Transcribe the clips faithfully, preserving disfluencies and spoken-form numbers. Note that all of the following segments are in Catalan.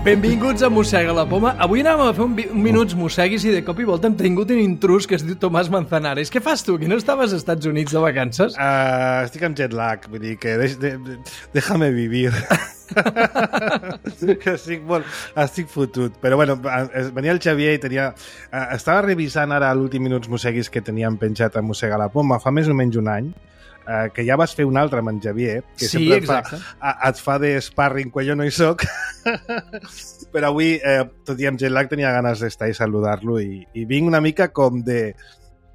Benvinguts a Mossega la Poma. Avui anàvem a fer un, un minuts mosseguis i de cop i volta hem tingut un intrus que es diu Tomàs Manzanares. Què fas tu? Que no estaves als Estats Units de vacances? Uh, estic amb jet lag, vull dir que deix, de, de, déjame vivir. que estic, molt, estic fotut. Però bueno, venia el Xavier i tenia... Uh, estava revisant ara l'últim minuts mosseguis que teníem penjat a Mossega la Poma fa més o menys un any. Uh, que ja vas fer un altre amb en Xavier, que sí, sempre exacte. fa, a, et fa de sparring quan jo no hi soc. Però avui, eh, tot i amb jet lag, tenia ganes d'estar i saludar-lo i, i vinc una mica com de...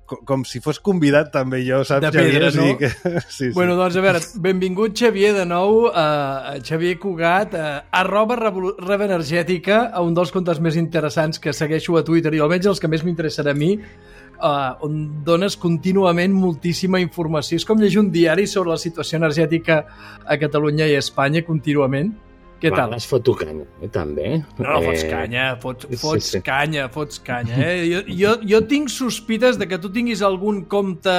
Com, com si fos convidat també jo, saps, de pedra, Xavier? no? Que... sí, sí. Bueno, doncs a veure, benvingut Xavier de nou, uh, Xavier Cugat, uh, arroba Rev Energètica, a un dels comptes més interessants que segueixo a Twitter i almenys els que més m'interessen a mi, Uh, on dones contínuament moltíssima informació. És com llegir un diari sobre la situació energètica a Catalunya i a Espanya contínuament. Què Va, tal? es foto canya, eh, també. No, eh... fots canya, fots, fots sí, sí. canya, fots canya. Eh? Jo, jo, jo tinc sospites de que tu tinguis algun compte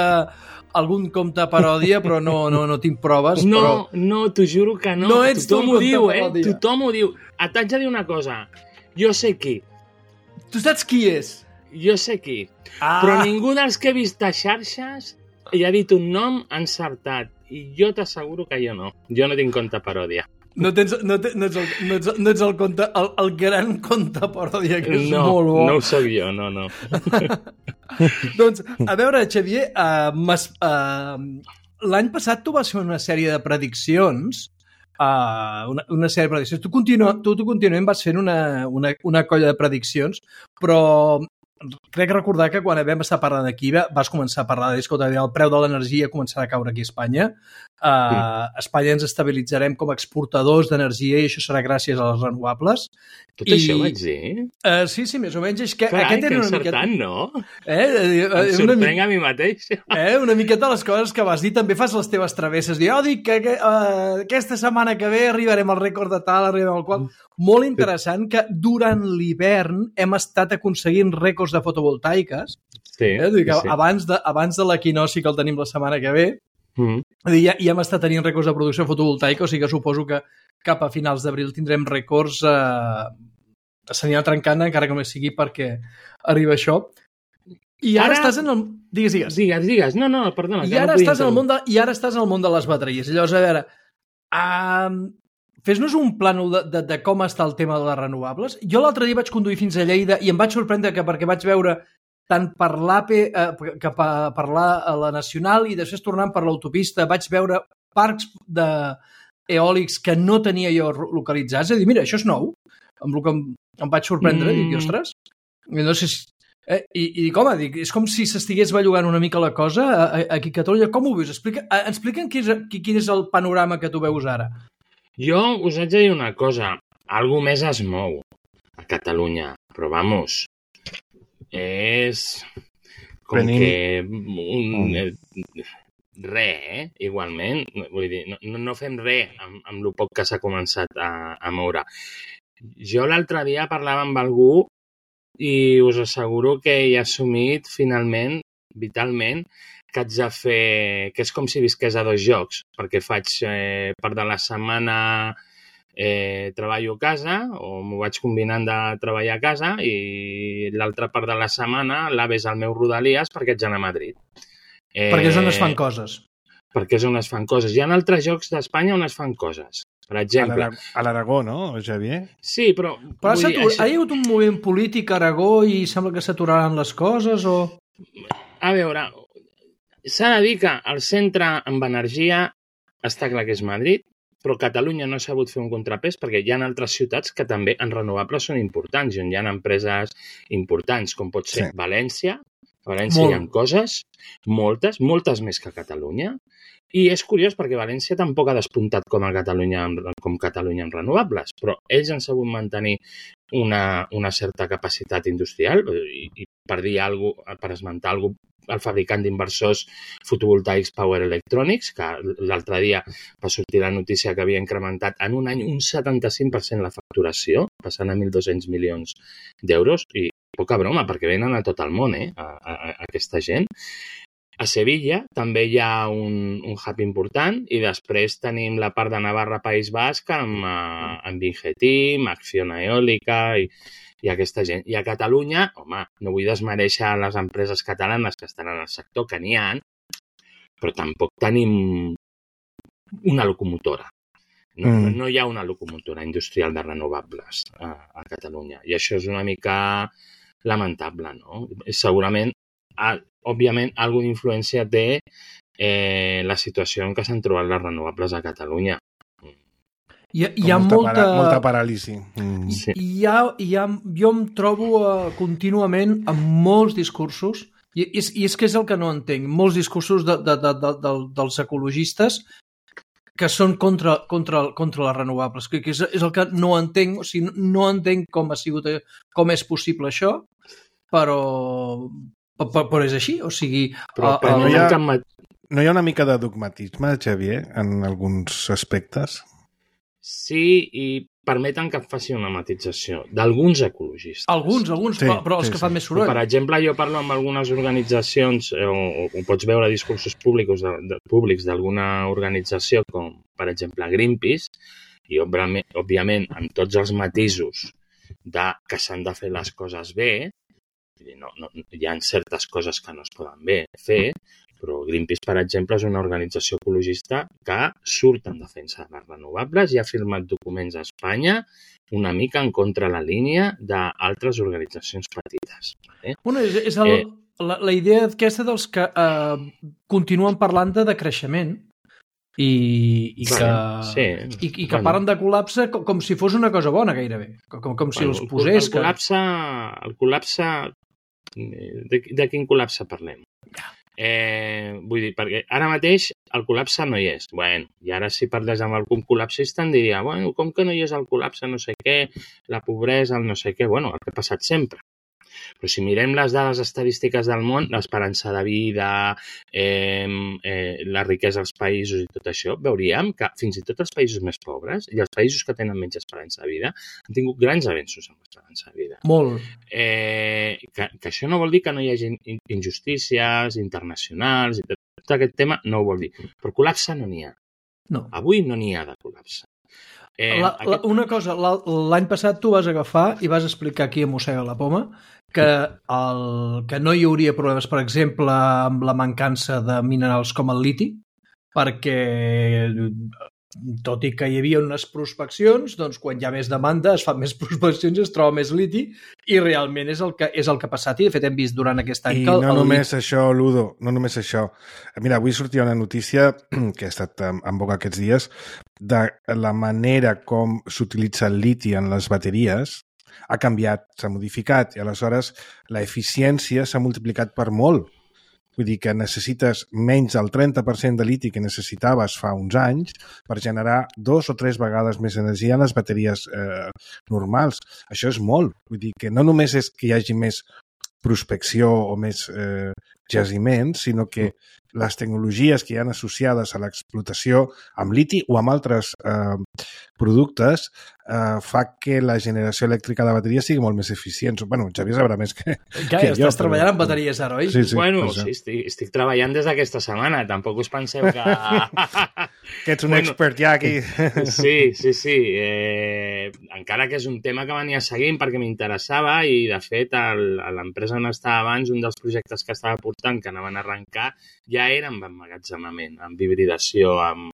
algun compte paròdia, però no, no, no tinc proves. No, però... no, t'ho juro que no. No ets Tothom tu ho diu, eh? paròdia. Tothom ho diu. Et haig de dir una cosa. Jo sé qui. Tu saps qui és? Jo sé qui. Ah. Però ningú dels que he vist a xarxes hi ha dit un nom encertat. I jo t'asseguro que jo no. Jo no tinc compte paròdia. No, tens, no, te, no, ets el, no, ets, no ets el, conte, el, el gran conte paròdia, que és no, molt bo. No ho soc jo, no, no. Doncs, a veure, Xavier, uh, uh, l'any passat tu vas fer una sèrie de prediccions, uh, una, una sèrie de prediccions. Tu, continu, tu, tu continuament vas fent una, una, una colla de prediccions, però crec recordar que quan vam estar parlant d'aquí vas començar a parlar de escolta, el preu de l'energia començarà a caure aquí a Espanya. Uh, sí. A Espanya ens estabilitzarem com a exportadors d'energia i això serà gràcies a les renovables. Tot I, això ho vaig dir? Uh, sí, sí, més o menys. És que Carai, aquest que era una encertant, miqueta... no? Eh? eh em sorprenc a mi mateix. Eh? Una miqueta les coses que vas dir. També fas les teves travesses. Dir, oh, dic que, que uh, aquesta setmana que ve arribarem al rècord de tal, arribarem al qual... Molt interessant que durant l'hivern hem estat aconseguint rècords de fotovoltaiques. Sí, eh? Dir que sí. Abans de, abans de l'equinoci que el tenim la setmana que ve, mm. dir, ja, ja hem estat tenint rècords de producció fotovoltaica, o sigui que suposo que cap a finals d'abril tindrem rècords eh, s'anirà trencant, encara que només sigui perquè arriba això. I ara, ara estàs en el... Digues, digues. Digues, digues. No, no, perdona. I ara, no estàs en el món de, I ara estàs en el món de les bateries. Llavors, a veure... Um, fes-nos un plànol de, de, de com està el tema de les renovables. Jo l'altre dia vaig conduir fins a Lleida i em vaig sorprendre que perquè vaig veure tant per l'A P E eh, que per, per la, a la Nacional i després tornant per l'autopista vaig veure parcs de eòlics que no tenia jo localitzats. És a dir, mira, això és nou. Amb el que em, em vaig sorprendre. Mm. Dic, ostres, no sé si... Eh, i, i dic, home, dic, és com si s'estigués bellugant una mica la cosa a, a, aquí a Catalunya. Com ho veus? Explica, eh, explica'm quin és, quin és el panorama que tu veus ara. Jo us haig de dir una cosa. Algú més es mou a Catalunya. Però, vamos, és com Venim. que un... Eh, re, eh? Igualment. Vull dir, no, no fem res amb, amb el poc que s'ha començat a, a moure. Jo l'altre dia parlava amb algú i us asseguro que he assumit finalment, vitalment, que haig de fer... que és com si visqués a dos jocs, perquè faig eh, part de la setmana eh, treballo a casa, o m'ho vaig combinant de treballar a casa, i l'altra part de la setmana l'ave és al meu Rodalies perquè haig d'anar a Madrid. Eh, perquè és on es fan coses. Perquè és on es fan coses. Hi ha altres jocs d'Espanya on es fan coses. Per exemple... A l'Aragó, no, Xavier? Sí, però... Però ha, dir, això... ha hi hagut un moviment polític a Aragó i sembla que s'aturaran les coses, o...? A veure... S'ha de dir que el centre amb energia està clar que és Madrid, però Catalunya no ha sabut fer un contrapès perquè hi ha altres ciutats que també en renovables són importants i on hi ha empreses importants, com pot ser sí. València. A València Molt. Hi ha coses, moltes, moltes més que a Catalunya. I és curiós perquè València tampoc ha despuntat com a Catalunya, com Catalunya en renovables, però ells han sabut mantenir una, una certa capacitat industrial i, i per dir alguna cosa, per esmentar alguna cosa, el fabricant d'inversors fotovoltaics Power Electronics, que l'altre dia va sortir la notícia que havia incrementat en un any un setanta-cinc per cent la facturació, passant a mil dos-cents milions d'euros, i poca broma, perquè venen a tot el món, eh, a, a, a aquesta gent. A Sevilla també hi ha un, un hub important i després tenim la part de Navarra, País Basc amb, uh, amb Ingetim, Acciona Eòlica i, i aquesta gent. I a Catalunya, home, no vull desmereixer les empreses catalanes que estan en el sector, que n'hi ha, però tampoc tenim una locomotora. No, mm. no hi ha una locomotora industrial de renovables a, a Catalunya. I això és una mica lamentable, no? Segurament, a, òbviament, alguna influència té eh, la situació en què s'han trobat les renovables a Catalunya. Hi ha, hi ha molta... molta... Para, molta paràlisi. Mm. Sí. Hi ha, hi ha, jo em trobo uh, contínuament amb molts discursos, i és, i és que és el que no entenc, molts discursos de, de, de, de, de, dels ecologistes que són contra, contra, contra les renovables, que, que és, és el que no entenc, o sigui, no entenc com ha sigut, com és possible això, però, però, però és així, o sigui... Però, però no, hi ha, no hi ha una mica de dogmatisme, Xavier, en alguns aspectes? Sí, i permeten que faci una matització d'alguns ecologistes. Alguns, alguns, sí, però, però els sí, que fan sí. més soroll. Per exemple, jo parlo amb algunes organitzacions, o, o, o pots veure discursos públics, de, de, públics d'alguna organització, com per exemple Greenpeace, i òbviament, òbviament amb tots els matisos de que s'han de fer les coses bé, no, no, hi ha certes coses que no es poden bé fer, però Greenpeace, per exemple, és una organització ecologista que surt en defensa de les renovables i ha firmat documents a Espanya una mica en contra la línia d'altres organitzacions petites. Eh? Bueno, és, és el, eh, la, la idea aquesta dels que eh, continuen parlant de decreixement i, i que, bueno, sí. i, i que bueno. parlen de col·lapse com, com si fos una cosa bona gairebé, com, com si bueno, els posés... El, el col·lapse... El col·lapse de, de quin col·lapse parlem? Ja. Eh, vull dir, perquè ara mateix el col·lapse no hi és. Bueno, i ara si parles amb algun col·lapsista em diria, bueno, com que no hi és el col·lapse, no sé què, la pobresa, el no sé què, bueno, el que ha passat sempre. Però si mirem les dades estadístiques del món, l'esperança de vida, eh, eh, la riquesa dels països i tot això, veuríem que fins i tot els països més pobres i els països que tenen menys esperança de vida han tingut grans avenços en l'esperança de vida. Molt. Eh, que, que això no vol dir que no hi hagi injustícies internacionals i tot, tot aquest tema no ho vol dir. Però col·lapse no n'hi ha. No. Avui no n'hi ha de col·lapse. Eh, la, la, aquest... Una cosa, l'any passat tu vas agafar i vas explicar aquí a Mossega la Poma que, el, que no hi hauria problemes, per exemple, amb la mancança de minerals com el liti, perquè tot i que hi havia unes prospeccions, doncs quan hi ha més demanda es fan més prospeccions i es troba més liti i realment és el que, és el que ha passat i de fet hem vist durant aquest any I que... I no només liti... això, Ludo, no només això. Mira, avui sortia una notícia que ha estat en boca aquests dies de la manera com s'utilitza el liti en les bateries ha canviat, s'ha modificat i aleshores la eficiència s'ha multiplicat per molt. Vull dir que necessites menys del trenta per cent de liti que necessitaves fa uns anys per generar dos o tres vegades més energia en les bateries eh, normals. Això és molt. Vull dir que no només és que hi hagi més prospecció o més eh, jaciments, sinó que les tecnologies que hi ha associades a l'explotació amb liti o amb altres eh, productes eh, fa que la generació elèctrica de bateries sigui molt més eficient. Bueno, Xavier sabrà més que, ja, que ja jo. Estàs però... treballant en bateries ara, oi? Sí, sí, bueno, sí, estic, estic treballant des d'aquesta setmana. Tampoc us penseu que... que ets un bueno, expert ja aquí. Sí, sí, sí. Eh, encara que és un tema que venia seguint perquè m'interessava i, de fet, l'empresa on estava abans, un dels projectes que estava portant, que anaven a arrencar, ja era amb emmagatzemament, amb hibridació, amb,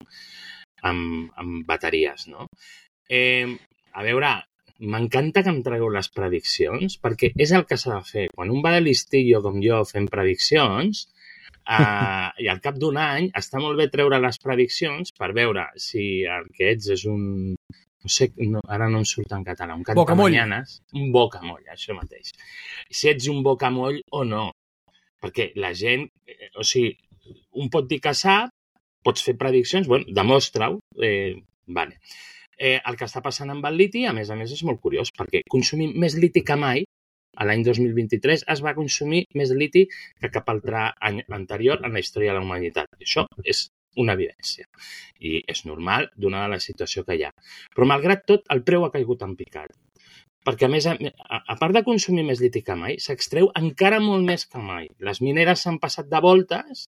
amb, amb bateries, no? Eh, a veure, m'encanta que em tragueu les prediccions, perquè és el que s'ha de fer. Quan un va de listillo com jo fent prediccions, eh, i al cap d'un any està molt bé treure les prediccions per veure si el que ets és un... No sé, no, ara no em surt en català, un cantamanyanes, un bocamoll, això mateix. Si ets un bocamoll o no. Perquè la gent, o sigui, un pot dir que sap, pots fer prediccions, bueno, demostra-ho, eh, vale. Eh, el que està passant amb el liti, a més a més, és molt curiós, perquè consumim més liti que mai, a l'any dos mil vint-i-tres es va consumir més liti que cap altre any anterior en la història de la humanitat. I això és una evidència. I és normal, donada la situació que hi ha. Però, malgrat tot, el preu ha caigut en picat. perquè a més, a, a part de consumir més liti que mai, s'extreu encara molt més que mai. Les mineres s'han passat de voltes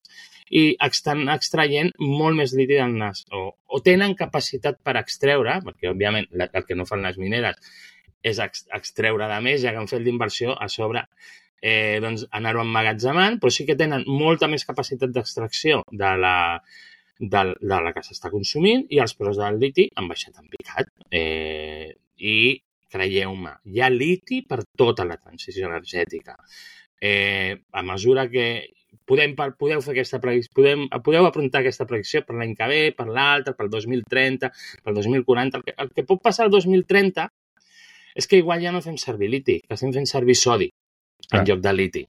i estan extraient molt més liti del nas, o, o tenen capacitat per extreure, perquè òbviament el que no fan les mineres és ex, extreure de més, ja que han fet l'inversió a sobre, eh, doncs anar-ho emmagatzemant, però sí que tenen molta més capacitat d'extracció de la, de, de la que s'està consumint i els preus del liti han baixat en picat. Eh, I creieu-me, hi ha liti per tota la transició energètica. Eh, a mesura que podem, podeu fer aquesta predicció, podem, podeu afrontar aquesta predicció per l'any que ve, per l'altre, pel dos mil trenta, pel dos mil quaranta. El que, el que pot passar el dos mil trenta és que igual ja no fem servir liti, que estem fent servir sodi en ah. lloc de liti.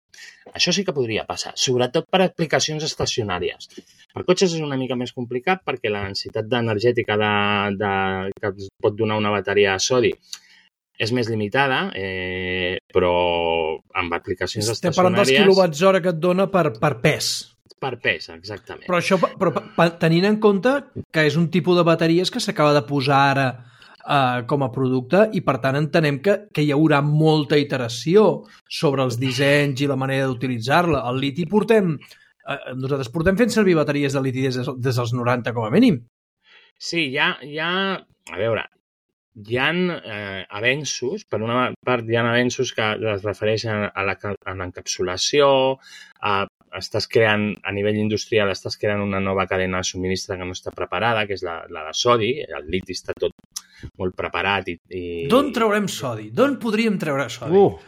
Això sí que podria passar, sobretot per aplicacions estacionàries. Per cotxes és una mica més complicat perquè la densitat energètica de, de, que pot donar una bateria a sodi és més limitada, eh, però amb aplicacions Estem estacionàries... Estem parlant dels quilowatts hora que et dona per, per pes. Per pes, exactament. Però això, però, tenint en compte que és un tipus de bateries que s'acaba de posar ara eh, com a producte i, per tant, entenem que, que hi haurà molta iteració sobre els dissenys i la manera d'utilitzar-la. El liti portem... Eh, nosaltres portem fent servir bateries de liti des, des dels noranta, com a mínim. Sí, hi ha... Hi ha a veure... Hi ha eh, avenços, per una part hi ha avenços que es refereixen a l'encapsulació, a, estàs creant, a nivell industrial, estàs creant una nova cadena de subministre que no està preparada, que és la, la de sodi, el liti està tot molt preparat. I, i... D'on traurem sodi? D'on podríem treure sodi? Uh,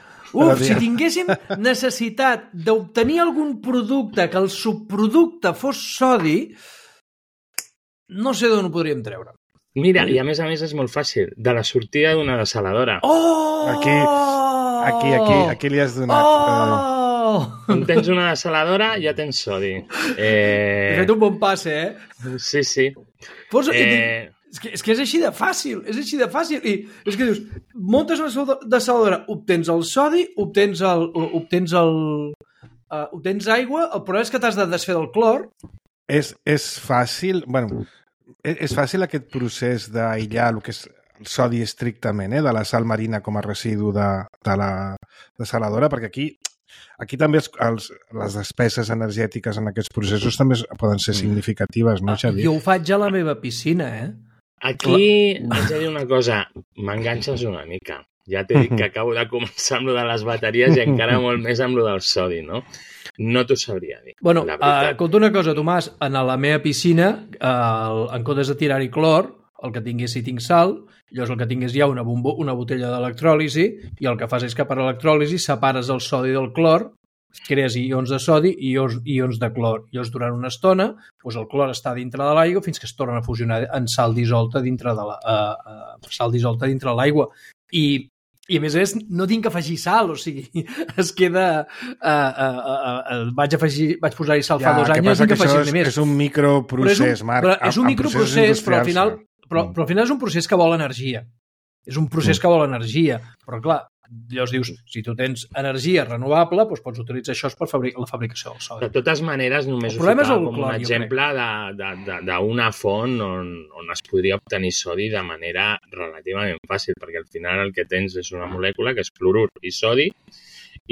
Uf, si tinguéssim necessitat d'obtenir algun producte que el subproducte fos sodi, no sé d'on ho podríem treure. Mira, i a més a més és molt fàcil, de la sortida d'una desaladora. Oh! Aquí, aquí, aquí, aquí li has donat... Oh! Quan tens una desaladora ja tens sodi. Eh... He fet un bon passe, eh? Sí, sí. Posa... Eh... És, que, és que és així de fàcil, és així de fàcil. I és que dius, muntes una desaladora, obtens el sodi, obtens el... obtens el... Uh, obtens aigua, el problema és que t'has de desfer del clor. És, és fàcil... Bueno... És fàcil aquest procés d'aïllar el que és el sodi estrictament, eh, de la sal marina com a residu de, de la desaladora, perquè aquí, aquí també els, els, les despeses energètiques en aquests processos també poden ser significatives, no, Xavier? Jo ho faig a la meva piscina, eh? Aquí haig de dir una cosa, m'enganxes una mica. Ja t'he dit que acabo de començar amb lo de les bateries i encara molt més amb lo del sodi, no? No t'ho sabria dir. Bueno, uh, compta una cosa, Tomàs, en la meva piscina, uh, en comptes de tirar-hi clor, el que tingués si tinc sal, llavors el que tingués ja una, bombo, una botella d'electròlisi, i el que fas és que per electròlisi separes el sodi del clor, crees ions de sodi i ions, ions de clor. Llavors, durant una estona, doncs el clor està dintre de l'aigua fins que es torna a fusionar en sal dissolta dintre de la, uh, uh, sal dissolta dintre de l'aigua. I I a més a més no tinc que afegir sal, o sigui, es queda... Uh, uh, uh, uh, vaig afegir, vaig posar-hi sal ja, fa dos anys, no tinc que afegir-ne més. És un microprocés, un, Marc. Però és un microprocés, però al final, però, però al final és un procés que vol energia. És un procés mm. que vol energia. Però clar, llavors dius, si tu tens energia renovable, doncs pots utilitzar això per fabric la fabricació del sodi. De totes maneres, només ho ficava com un exemple d'una font on, on es podria obtenir sodi de manera relativament fàcil, perquè al final el que tens és una molècula que és clorur i sodi,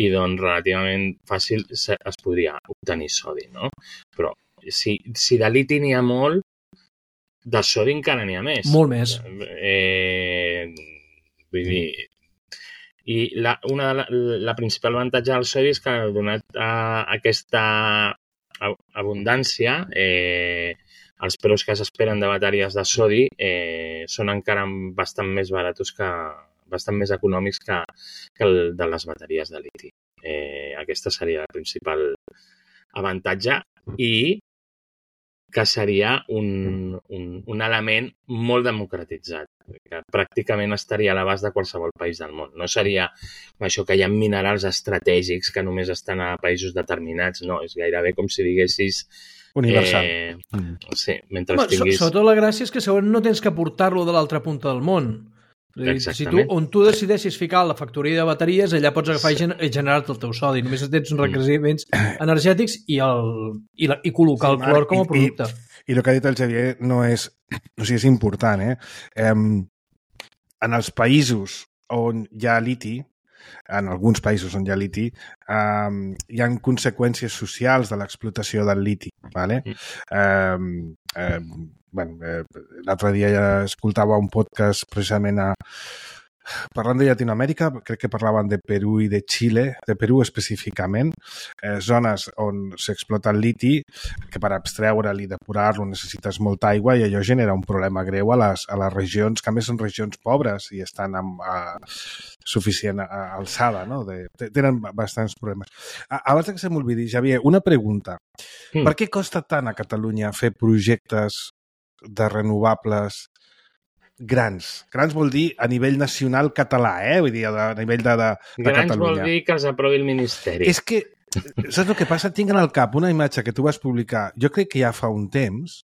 i doncs relativament fàcil es podria obtenir sodi, no? Però si, si de liti n'hi ha molt, de sodi encara n'hi ha més. Molt més. Eh, vull dir... I la, una de la, la principal avantatge del sodi és que, donat a aquesta abundància, eh, els preus que s'esperen de bateries de sodi eh, són encara bastant més baratos que, bastant més econòmics que, que el de les bateries de liti. Eh, aquesta seria el principal avantatge i que seria un, un, un element molt democratitzat, que pràcticament estaria a l'abast de qualsevol país del món. No seria això que hi ha minerals estratègics que només estan a països determinats, no, és gairebé com si diguessis... Universal. Eh, mm. Sí, mentre Home, tinguis... Sobretot la gràcia és que segurament no tens que portar-lo de l'altra punta del món. Si tu, on tu decideixis ficar la factoria de bateries, allà pots agafar sí. i generar-te el teu sodi. Només tens uns requeriments energètics i, el, i, la, i col·locar sí, el clor com a producte. I, i, i el que ha dit el Xavier no és... O sigui, és important, eh? eh en els països on hi ha liti, en alguns països on hi ha liti, um, hi ha conseqüències socials de l'explotació del liti. Vale? Um, um, bueno, eh, l'altre dia ja escoltava un podcast precisament a parlant de Llatinoamèrica, crec que parlaven de Perú i de Xile, de Perú específicament, eh, zones on s'explota el liti, que per abstreure'l i depurar-lo necessites molta aigua i allò genera un problema greu a les, a les regions, que a més són regions pobres i estan amb a, suficient a, alçada, no? De, tenen bastants problemes. A, abans que se m'olvidi, Xavier, una pregunta. Mm. Per què costa tant a Catalunya fer projectes de renovables grans? Grans vol dir a nivell nacional català, eh? Vull dir, a nivell de, de, de grans Catalunya. Grans vol dir que els aprovi el Ministeri. És que, saps el que passa? Tinc en el cap una imatge que tu vas publicar, jo crec que ja fa un temps,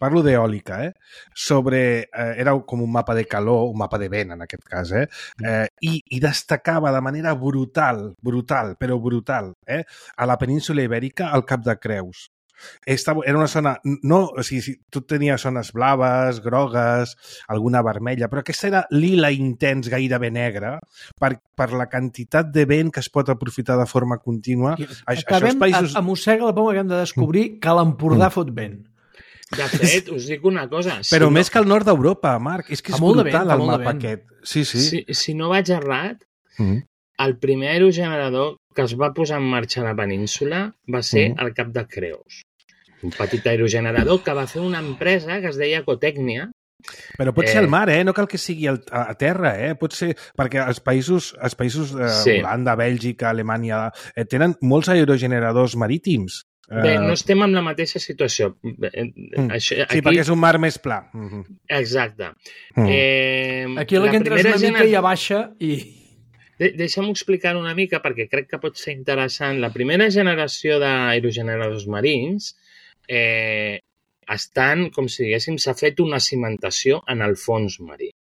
parlo d'eòlica, eh? Sobre, eh, era com un mapa de calor, un mapa de vent en aquest cas, eh? eh i, i destacava de manera brutal, brutal, però brutal, eh? A la península Ibèrica, al Cap de Creus. Estava, era una zona, no, o sigui, tot tenia zones blaves, grogues, alguna vermella, però aquesta era lila intens, gairebé negra, per, per la quantitat de vent que es pot aprofitar de forma contínua. Acabem, això els països... a, a Mossega la Poma acabem de descobrir que l'Empordà mm. fot vent. De fet, us dic una cosa. Si però no... més que al nord d'Europa, Marc, és que és brutal el mapa aquest. Sí, sí. Si, si no vaig errat, mm. el primer aerogenerador que es va posar en marxa a la península va ser mm. al Cap de Creus. Un petit aerogenerador que va fer una empresa que es deia Ecotècnia. Però pot ser al mar, eh? No cal que sigui a terra, eh? Pot ser... Perquè els països, els països eh, sí. Holanda, Bèlgica, Alemanya, eh, tenen molts aerogeneradors marítims. Bé, no estem en la mateixa situació. Mm. Això, aquí... Sí, perquè és un mar més pla. Mm-hmm. Exacte. Mm. Eh, aquí la, la que entres una gener... mica ja baixa i... De Deixa'm explicar una mica perquè crec que pot ser interessant. La primera generació d'aerogeneradors marins eh, estan, com si diguéssim, s'ha fet una cimentació en el fons marí.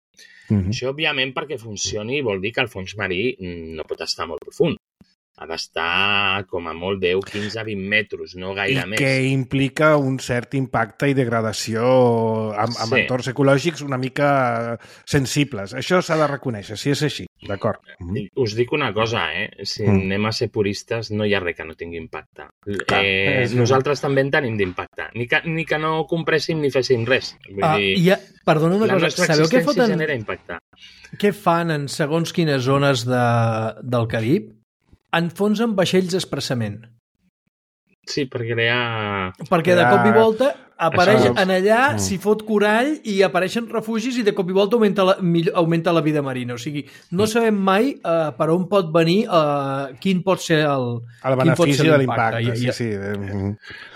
Mm-hmm. Això, òbviament, perquè funcioni vol dir que el fons marí no pot estar molt profund. Ha d'estar com a molt deu, quinze, vint metres, no gaire I més. I que implica un cert impacte i degradació amb, amb sí. entorns ecològics una mica sensibles. Això s'ha de reconèixer, si és així, d'acord. Mm. Us dic una cosa, eh? Si mm. anem a ser puristes, no hi ha res que no tingui impacte. Clar, eh, nosaltres també en tenim d'impacte. Ni que, ni que no compréssim ni féssim res. Vull ah, dir, ja, perdona una la cosa, nostra sabeu què existència foten, genera impacte. Què fan en segons quines zones de, del Carib? Enfonsen vaixells expressament. Sí, per crear... Perquè de cop i volta apareix Això... en allà, mm. s'hi fot corall i apareixen refugis i de cop i volta augmenta la, augmenta la vida marina. O sigui, no sabem mai uh, per on pot venir, uh, quin pot ser el... El benefici de l'impacte, sí, sí.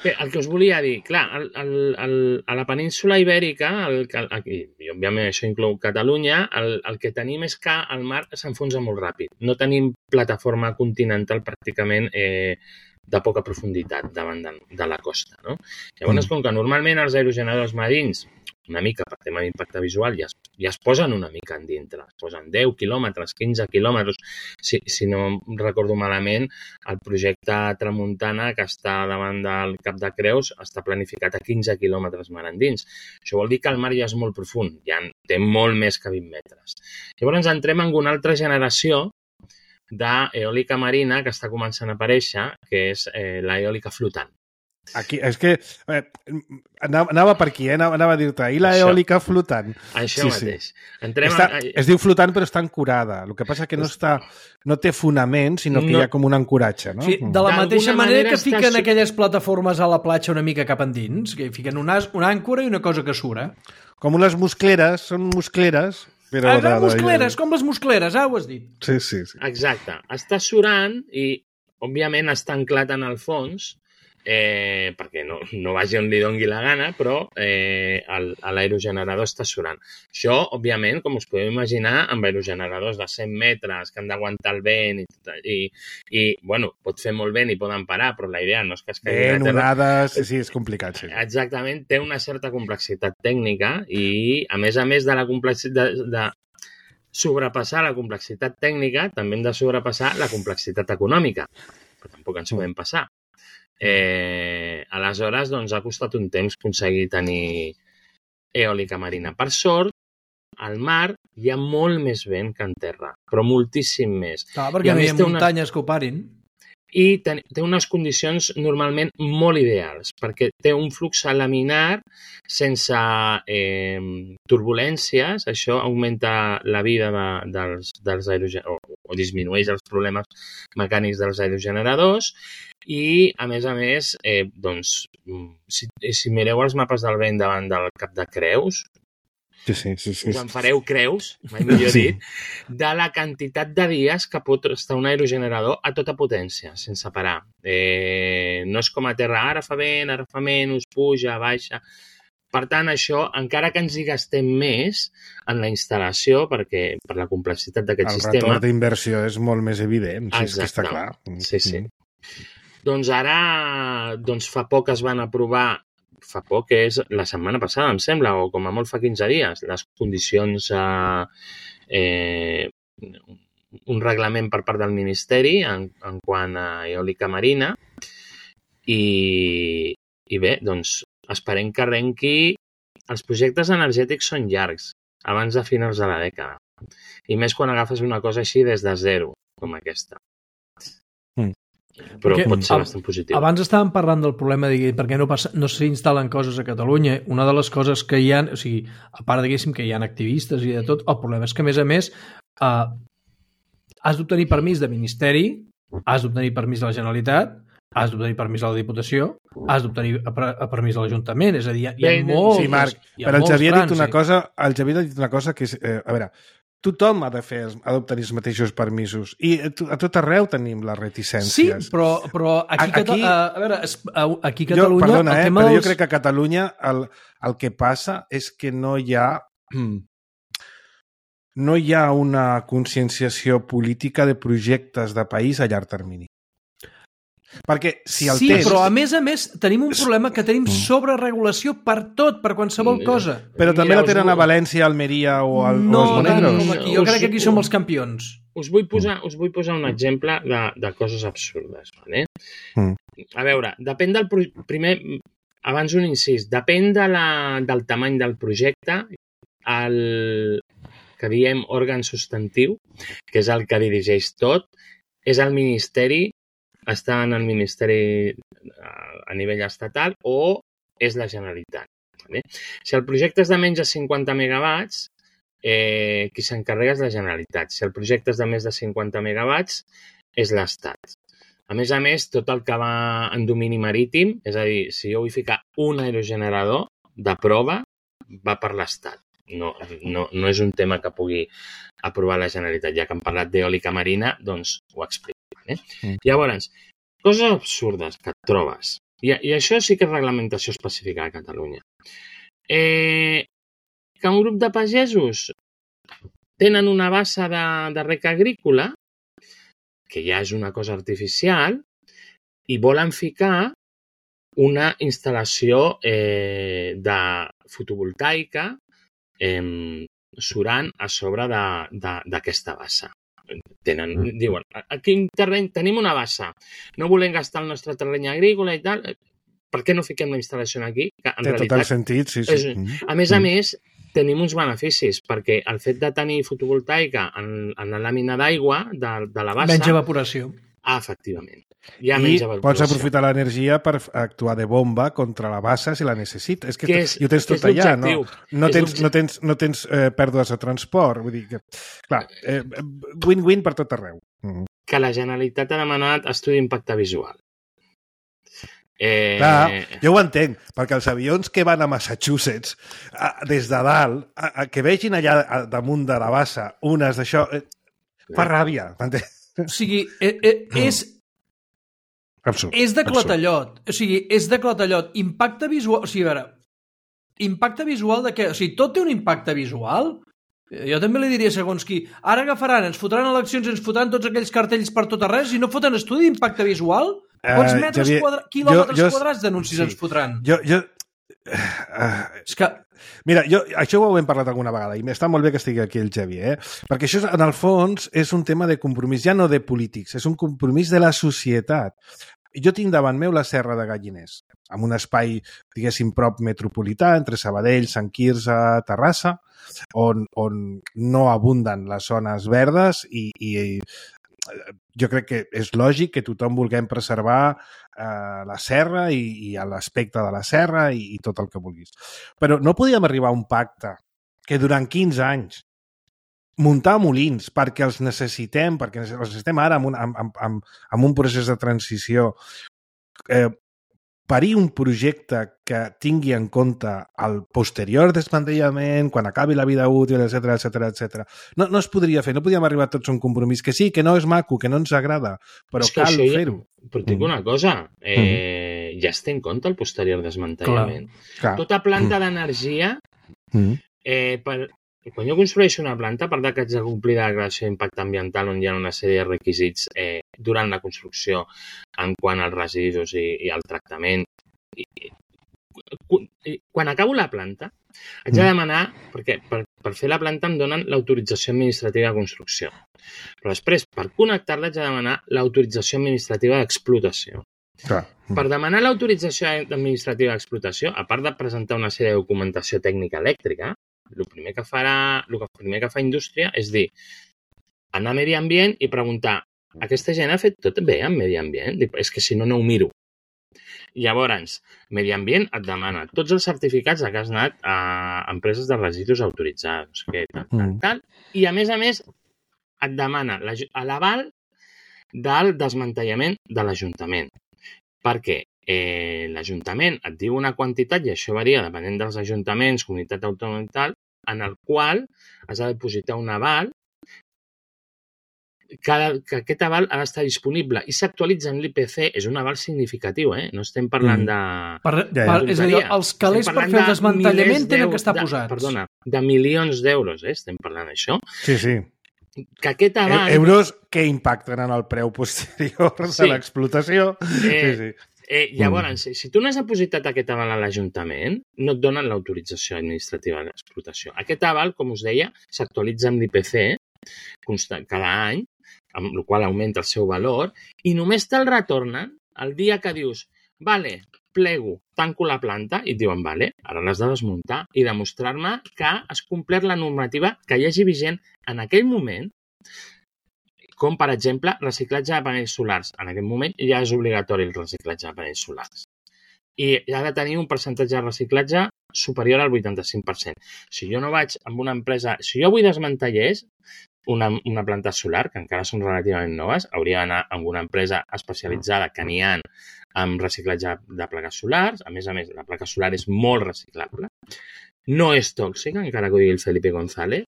Bé, el que us volia dir, clar, el, el, el, a la península Ibèrica, el, el, i òbviament això inclou Catalunya, el, el que tenim és que el mar s'enfonsa molt ràpid. No tenim plataforma continental pràcticament eh, de poca profunditat davant de, de la costa, no? Llavors, mm. com que normalment els aerogeneradors marins, una mica per tema d'impacte visual, ja es, ja es posen una mica en dintre, es posen deu quilòmetres, quinze quilòmetres, si, si no recordo malament, el projecte Tramuntana que està davant del Cap de Creus està planificat a quinze quilòmetres mar endins. Això vol dir que el mar ja és molt profund, ja té molt més que vint metres. Llavors entrem en una altra generació d'eòlica marina que està començant a aparèixer, que és eh, l'eòlica flotant. Aquí, és que eh, anava, anava per aquí, eh? anava, anava a dir-te, i l'eòlica flotant. Això sí, mateix. Sí. Entrem està, a... Es diu flotant però està ancorada, el que passa que no, està, no té fonament, sinó que no. Hi ha com un ancoratge. No? Sí, de la mateixa manera que fiquen està... aquelles plataformes a la platja una mica cap endins, que fiquen una, una àncora i una cosa que sura. Com unes muscleres, són muscleres... Però ah, de, de, muscleres, de... com les muscleres, ah, ho has dit. Sí, sí, sí. Exacte. Està surant i, òbviament, està anclat en el fons, eh, perquè no, no vagi on li dongui la gana, però eh, l'aerogenerador està surant. Això, òbviament, com us podeu imaginar, amb aerogeneradors de cent metres que han d'aguantar el vent i, i, i, bueno, pot fer molt vent i poden parar, però la idea no és que es caigui a terra. Onades, sí, sí, és complicat, sí. Exactament, té una certa complexitat tècnica i, a més a més de la complexitat de, de sobrepassar la complexitat tècnica, també hem de sobrepassar la complexitat econòmica, però tampoc ens podem passar. Eh, aleshores, doncs, ha costat un temps aconseguir tenir eòlica marina. Per sort, al mar hi ha molt més vent que en terra, però moltíssim més. Clar, perquè no hi ha muntanyes que ho parin. I té, té unes condicions normalment molt ideals, perquè té un flux laminar sense eh, turbulències, això augmenta la vida de, dels, dels aerogeneradors, o, o disminueix els problemes mecànics dels aerogeneradors, i, a més a més, eh, doncs, si, si mireu els mapes del vent davant del Cap de Creus, Sí, sí, sí, sí. us en fareu creus, mai millor Sí. dit, de la quantitat de dies que pot estar un aerogenerador a tota potència, sense parar. Eh, no és com a terra, ara fa vent, ara fa menys, puja, baixa. Per tant, això, encara que ens hi gastem més en la instal·lació, perquè per la complexitat d'aquest El sistema... retorn d'inversió és molt més evident, si és que està clar. Sí, sí. Doncs ara, doncs fa poc es van aprovar, fa poc és la setmana passada, em sembla, o com a molt fa quinze dies, les condicions, eh, eh, un reglament per part del Ministeri en, en quant a eòlica marina, i, i bé, doncs esperem que arrenqui. Els projectes energètics són llargs, abans de finals de la dècada, i més quan agafes una cosa així des de zero, com aquesta. Mm. Però Perquè, pot ser ab- bastant positiu. Abans estàvem parlant del problema de per què no, passa, no s'instal·len coses a Catalunya. Una de les coses que hi ha, o sigui, a part diguéssim que hi ha activistes i de tot, el problema és que, a més a més, eh, has d'obtenir permís de Ministeri, has d'obtenir permís de la Generalitat, has d'obtenir permís de la Diputació, has d'obtenir a, per, a permís de l'Ajuntament. És a dir, hi ha, hi ha Bé, molts... Sí, Marc, hi ha però el molts Xavier ha dit trànsits. una cosa, el Xavier ha dit una cosa que és, eh, a veure, tothom ha de fer, ha d'obtenir els mateixos permisos i a to- a tot arreu tenim les Sí, reticències. però, però aquí, A- Cata- aquí- a, a veure, es- a, aquí a Jo, Catalunya... perdona, el eh, tema però dels... jo crec que a Catalunya el, el que passa és que no hi ha no hi ha una conscienciació política de projectes de país a llarg termini. Perquè si el sí, tens... però a més a més tenim un problema que tenim sobreregulació per tot, per qualsevol Mira. cosa. Però també Mira, la tenen us- a València, a Almeria o, al, No o als tant Monegros. com aquí. Jo Us- crec que aquí som els campions. Us vull posar, us vull posar un exemple de, de coses absurdes. Vale? Mm. A veure, depèn del... pro- Primer, abans un incís, depèn de la, del tamany del projecte, el que diem òrgan substantiu, que és el que dirigeix tot, és el Ministeri, està en el Ministeri a nivell estatal o és la Generalitat. Vale? Si el projecte és de menys de cinquanta megawatts, eh, qui s'encarrega és la Generalitat. Si el projecte és de més de cinquanta megawatts, és l'Estat. A més a més, tot el que va en domini marítim, és a dir, si jo vull ficar un aerogenerador de prova, va per l'Estat. No, no, no és un tema que pugui aprovar la Generalitat. Ja que hem parlat d'eòlica marina, doncs ho explico. Eh? Mm. Llavors, coses absurdes que et trobes. I, I això sí que és reglamentació específica a Catalunya. Eh, que un grup de pagesos tenen una bassa de, de rec agrícola, que ja és una cosa artificial, i volen ficar una instal·lació eh, de fotovoltaica eh, surant a sobre d'aquesta bassa. Tenen, Mm. diuen, aquí en terreny tenim una bassa, no volem gastar el nostre terreny agrícola i tal, per què no fiquem la instal·lació aquí? Que en Té tot realitat, el sentit, sí, sí. és- Mm. a més a Mm. més, tenim uns beneficis, perquè el fet de tenir fotovoltaica en, en la làmina d'aigua de, de la bassa... Menys evaporació. Ah, efectivament. Hi ha I menys pots evaporació. aprofitar l'energia per actuar de bomba contra la bassa si la necessites. És que, Que és- i ho tens que tot és allà, no? l'objectiu. No És tens, l'objectiu. no tens, no tens eh, pèrdues de transport. Vull dir que, clar, eh, win-win per tot arreu. Mm. Que la Generalitat ha demanat estudi d'impacte visual. Eh, Clar, jo ho entenc, perquè els avions que van a Massachusetts, a, des de dalt, a, a, que vegin allà a, damunt de la bassa unes d'això, eh, fa ràbia. m'entens? O sigui, eh, eh, és, Absurd. és de absurd. clatellot. O sigui, és de clatellot. Impacte visual... O sigui, a veure, impacte visual de què? O sigui, tot té un impacte visual? Eh, Jo també li diria segons qui. Ara agafaran, ens fotran eleccions, ens fotran tots aquells cartells per tot arreu, si no foten estudi d'impacte visual, quants Eh, metres Xavier, quadra... quilòmetres jo- jo- quadrats d'anuncis sí. ens fotran? Jo, jo, uh, És que... Mira, jo, això ho hem parlat alguna vegada i està molt bé que estigui aquí el Xavier, eh? Perquè això, en el fons, és un tema de compromís, ja no de polítics, és un compromís de la societat. jo tinc davant meu la Serra de Galliners, amb un espai, diguéssim, prop metropolità, entre Sabadell, Sant Quirze, Terrassa, on, on no abunden les zones verdes i, i jo crec que és lògic que tothom vulguem preservar eh, la serra i, i l'aspecte de la serra i, i tot el que vulguis. Però no podíem arribar a un pacte que durant quinze anys muntar molins perquè els necessitem, perquè els necessitem ara amb un, amb, amb, amb un procés de transició, eh, parir un projecte que tingui en compte el posterior desmantellament, quan acabi la vida útil, etcètera, etcètera, etcètera. No, no es podria fer, no podíem arribar tots a un compromís, que sí, que no és maco, que no ens agrada, però és cal ja... fer-ho. Però et dic una cosa, eh, mm. ja es té en compte el posterior desmantellament. Clar. Clar. Tota planta d'energia, mm. eh, per... quan jo construeixo una planta, a part que haig de complir la declaració d'impacte ambiental on hi ha una sèrie de requisits eh, durant la construcció en quant als residus i, i al tractament, I, i, quan acabo la planta haig de demanar, perquè per, per fer la planta em donen l'autorització administrativa de construcció, però després per connectar-la haig de demanar l'autorització administrativa d'explotació. Clar. Per demanar l'autorització administrativa d'explotació, a part de presentar una sèrie de documentació tècnica elèctrica, el primer que farà, el primer que fa indústria és dir, anar a Medi Ambient i preguntar, aquesta gent ha fet tot bé amb Medi Ambient? És que si no, no ho miro. Llavors, Medi Ambient et demana tots els certificats que has anat a empreses de residus autoritzades, que tal, tal, tal, i a més a més et demana l'aval del desmantellament de l'Ajuntament. Perquè eh, l'Ajuntament et diu una quantitat, i això varia depenent dels ajuntaments, comunitat autònoma i tal, en el qual has de depositar un aval que, que aquest aval ha d'estar disponible i s'actualitza en l'I P C, és un aval significatiu, eh? No estem parlant de... Per, per, és a dir, els calés per fer el desmantellament tenen que estar de, posats. Perdona, de milions d'euros, eh? Estem parlant d'això. Sí, sí. Que aquest aval... E euros que impacten en el preu posterior sí. de l'explotació. Eh, sí, sí. Eh, llavors, mm. si tu no has depositat aquest aval a l'Ajuntament, no et donen l'autorització administrativa d'explotació. Aquest aval, com us deia, s'actualitza amb l'I P C cada any, amb el qual augmenta el seu valor, i només te'l retornen el dia que dius, vale, plego, tanco la planta, i et diuen, vale, ara l'has de desmuntar i demostrar-me que has complert la normativa que hi hagi vigent en aquell moment, com, per exemple, reciclatge de panells solars. En aquest moment ja és obligatori el reciclatge de panells solars. I ha de tenir un percentatge de reciclatge superior al vuitanta-cinc per cent. Si jo no vaig amb una empresa... Si jo vull desmantellers una, una planta solar, que encara són relativament noves, hauria d'anar amb una empresa especialitzada que n'hi ha amb reciclatge de plaques solars. A més a més, la placa solar és molt reciclable. No és tòxica, encara que ho digui el Felipe González.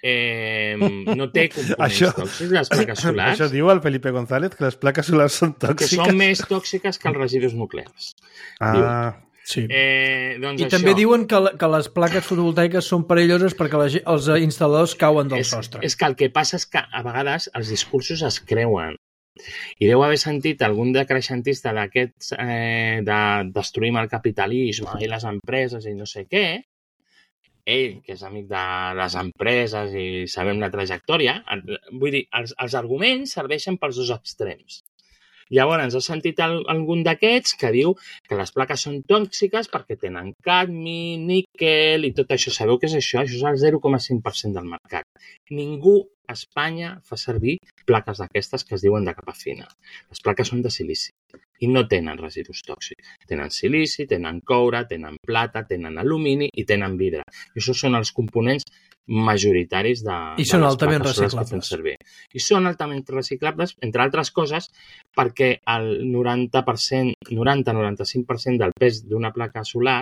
Eh, no té components això, tòxics, les plaques solars. Això diu el Felipe González, que les plaques solars són tòxiques. Que són més tòxiques que els residus nuclears. Ah, diu. Sí. Eh, doncs I això... també diuen que, que les plaques fotovoltaiques són perilloses perquè la, els instal·ladors cauen del és, sostre. És que el que passa és que a vegades els discursos es creuen. I deu haver sentit algun decreixentista d'aquests eh, de destruïm el capitalisme i les empreses i no sé què, ell, que és amic de les empreses i sabem la trajectòria, vull dir, els, els arguments serveixen pels dos extrems. Llavors, has sentit el, algun d'aquests que diu que les plaques són tòxiques perquè tenen cadmi, níquel i tot això. Sabeu què és això? Això és el zero coma cinc per cent del mercat. Ningú a Espanya fa servir plaques d'aquestes que es diuen de capa fina. Les plaques són de silici i no tenen residus tòxics. Tenen silici, tenen coure, tenen plata, tenen alumini i tenen vidre. I això són els components majoritaris de, I són de les altament plaques solars que fem servir. I són altament reciclables, entre altres coses, perquè el noranta per cent, noranta a noranta-cinc per cent del pes d'una placa solar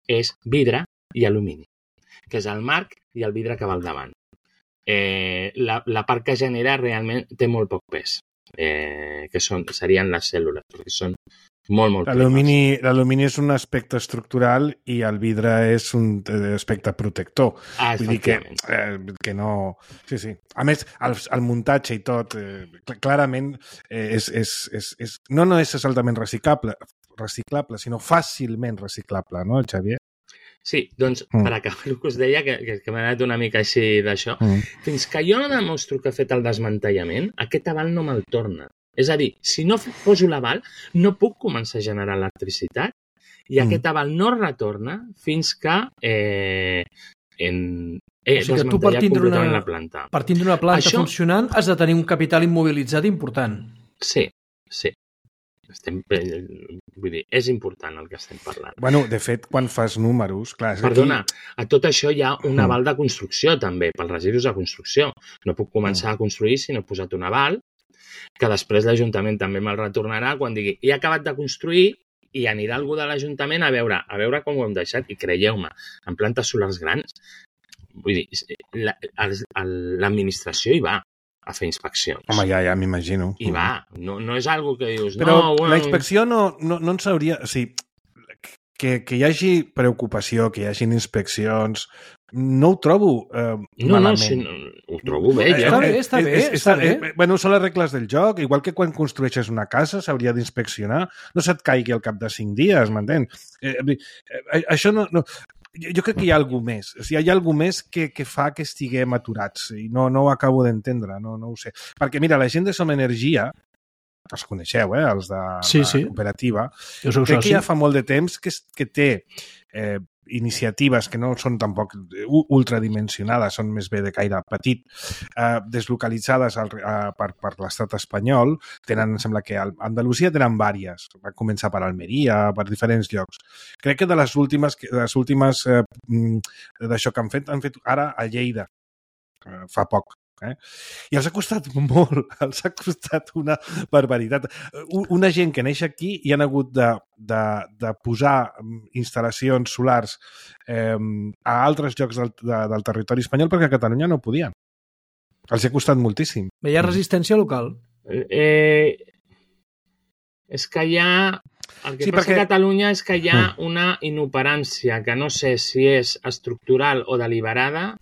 és vidre i alumini, que és el marc i el vidre que va al davant. Eh, la, la part que genera realment té molt poc pes, eh, que són, serien les cèl·lules, perquè són molt, molt l'alumini, l'alumini és un aspecte estructural i el vidre és un aspecte protector. Ah, vull dir que, eh, que no... Sí, sí. A més, el, el muntatge i tot, eh, clarament, eh, és, és, és, és, no, no és altament reciclable, reciclable, sinó fàcilment reciclable, no, Xavier? Sí, doncs, mm. per acabar el que us deia, que, que, que m'ha anat una mica així d'això, mm. fins que jo no demostro que he fet el desmantellament, aquest aval no me'l torna. És a dir, si no poso l'aval, no puc començar a generar electricitat i mm. aquest aval no retorna fins que eh, en, eh, o sigui que tu partint d'una la planta. Partint d'una planta Això... funcionant has de tenir un capital immobilitzat important. Sí, sí. Estem, vull dir, és important el que estem parlant. Bueno, de fet, quan fas números... Clar, Perdona, aquí... a tot això hi ha un aval de construcció, també, pels residus de construcció. No puc començar a construir si no he posat un aval, que després l'Ajuntament també me'l retornarà quan digui he acabat de construir i anirà algú de l'Ajuntament a veure a veure com ho hem deixat. I creieu-me, en plantes solars grans, vull dir, l'administració hi va a fer inspeccions. Home, ja, ja m'imagino. I va, no, no és algo que dius... Però no, bueno... la inspecció no, no, no ens hauria... O sigui, que, que hi hagi preocupació, que hi hagin inspeccions, no ho trobo eh, no, malament. No, si no, ho trobo bé. Ja. Està bé, està bé. És, està bé. Eh, bueno, són les regles del joc. Igual que quan construeixes una casa s'hauria d'inspeccionar. No se't caigui al cap de cinc dies, m'entens? Eh, eh, això no... no jo crec que hi ha alguna més. O sigui, hi ha alguna més que, que fa que estiguem aturats i no, no ho acabo d'entendre, no, no ho sé. Perquè, mira, la gent de Som Energia, els coneixeu, eh, els de sí, la sí. cooperativa, jo soc crec soci. que ja fa molt de temps que, que té eh, iniciatives que no són tampoc ultradimensionades, són més bé de caire petit, eh, deslocalitzades al, eh, per, per l'estat espanyol. Tenen, em sembla que a Andalusia tenen vàries. Va començar per Almeria, per diferents llocs. Crec que de les últimes, de les últimes eh, d'això que han fet, han fet ara a Lleida, eh, fa poc. Eh? I els ha costat molt, els ha costat una barbaritat. Una gent que neix aquí i han hagut de, de, de posar instal·lacions solars eh, a altres llocs del, de, del territori espanyol perquè a Catalunya no podien. Els ha costat moltíssim. Hi ha resistència local. Eh, és que hi ha... El que sí, passa perquè... a Catalunya és que hi ha una inoperància que no sé si és estructural o deliberada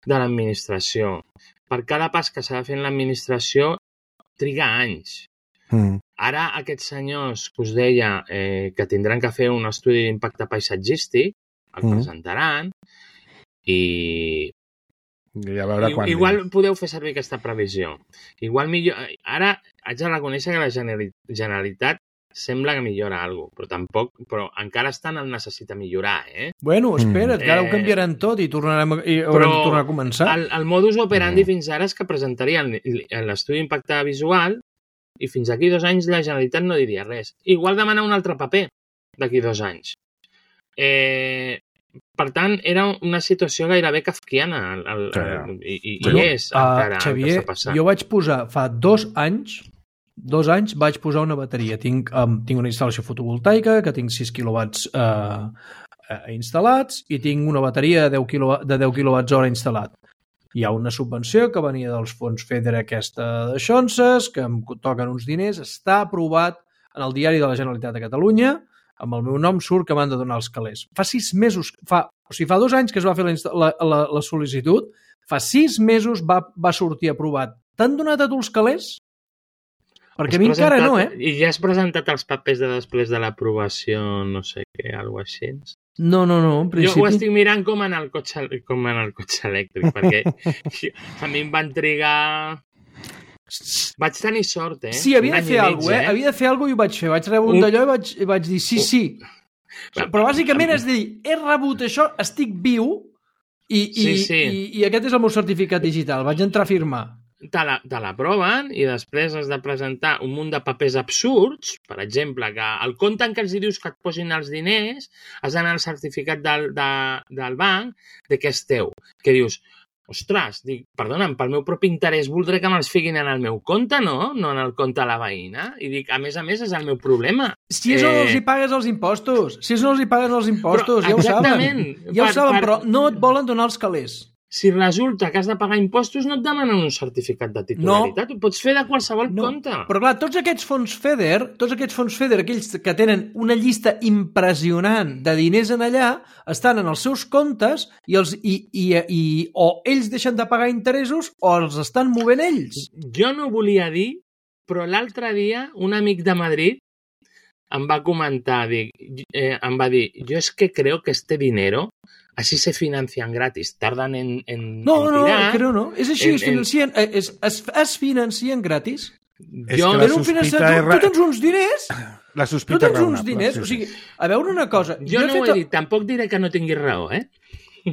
de l'administració. Per cada pas que s'ha de fer en l'administració triga anys. Mm. Ara aquests senyors que us deia eh, que tindran que fer un estudi d'impacte paisatgístic, el mm. presentaran i... I a veure quan... Igual podeu fer servir aquesta previsió. Igual millor... Ara haig de reconèixer que la Generalitat sembla que millora alguna cosa, però tampoc, però encara estan en necessita millorar, eh? Bueno, espera't, que ara ho canviaran tot i tornarem a, i haurem de tornar a començar. El, el modus operandi mm. fins ara és que presentarien l'estudi d'impacte visual i fins aquí dos anys la Generalitat no diria res. Igual demanar un altre paper d'aquí dos anys. Eh, per tant, era una situació gairebé kafkiana el, el, el, i, i, bueno, i és encara uh, Xavier, el que està passant. Jo vaig posar, fa dos anys dos anys vaig posar una bateria. Tinc, um, tinc una instal·lació fotovoltaica que tinc sis quilowatts eh, uh, instal·lats i tinc una bateria de deu, quilo, de deu quilowatts hora instal·lat. Hi ha una subvenció que venia dels fons FEDER aquesta de Xonses, que em toquen uns diners, està aprovat en el diari de la Generalitat de Catalunya, amb el meu nom surt que m'han de donar els calés. Fa sis mesos, fa, o sigui, fa dos anys que es va fer la, la, la, la sol·licitud, fa sis mesos va, va sortir aprovat. T'han donat a tu els calés? Perquè a mi encara no, eh? I ja has presentat els papers de després de l'aprovació, no sé què, alguna cosa així? No, no, no, en principi... Jo ho estic mirant com en el cotxe, com en el cotxe elèctric, perquè a mi em van trigar... Vaig tenir sort, eh? Sí, havia de fer alguna cosa, eh? Havia de fer alguna cosa i ho vaig fer. Vaig rebre un d'allò i vaig, i vaig dir sí, sí. Però bàsicament és dir, he rebut això, estic viu i, i, sí, sí. i, i aquest és el meu certificat digital. Vaig entrar a firmar. Te l'aproven i després has de presentar un munt de papers absurds, per exemple, que el compte en què els dius que et posin els diners has d'anar al certificat del, de, del banc de que és teu. Que dius, ostres, dic, perdona'm, pel meu propi interès voldré que me'ls fiquin en el meu compte, no? No en el compte de la veïna. I dic, a més a més, és el meu problema. Si és on eh... els hi pagues els impostos. Si és on els hi pagues els impostos, però, ja ho saben. Ja ho per, saben, per... però no et volen donar els calés. Si resulta que has de pagar impostos, no et demanen un certificat de titularitat. No. Ho pots fer de qualsevol no. compte. Però clar, tots aquests fons FEDER, tots aquests fons FEDER, aquells que tenen una llista impressionant de diners en allà, estan en els seus comptes i, els, i, i, i o ells deixen de pagar interessos o els estan movent ells. Jo no volia dir, però l'altre dia un amic de Madrid em va comentar, dic, eh, em va dir, jo és que creo que este dinero así se financian gratis, tardan en, en No, en no, tirar, creo no, és així, en, es, financien, en... es, es, es financien gratis. És Jo... que la Era un finançament, sospita tu, és... tu tens uns diners, La tu sospita tens uns raonable, diners, sí, o sí. sigui, a veure una cosa... Jo no he ho fet he dit, tampoc diré que no tinguis raó, eh?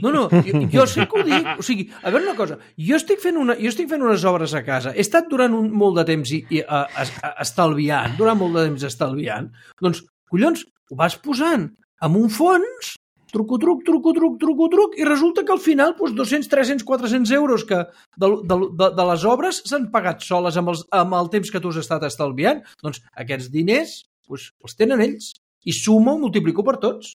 No, no, jo, jo sé que ho dic, o sigui, a veure una cosa, jo estic fent, una, jo estic fent unes obres a casa, he estat durant un, molt de temps i, i, a, a, a, estalviant, durant molt de temps estalviant, doncs, collons, ho vas posant amb un fons, truco, truc, truco, truc, truco, truc, i resulta que al final doncs, dos-cents, tres-cents, quatre-cents euros que de, de, de, de les obres s'han pagat soles amb, els, amb el temps que tu has estat estalviant. Doncs aquests diners doncs, els tenen ells i suma o multiplico per tots.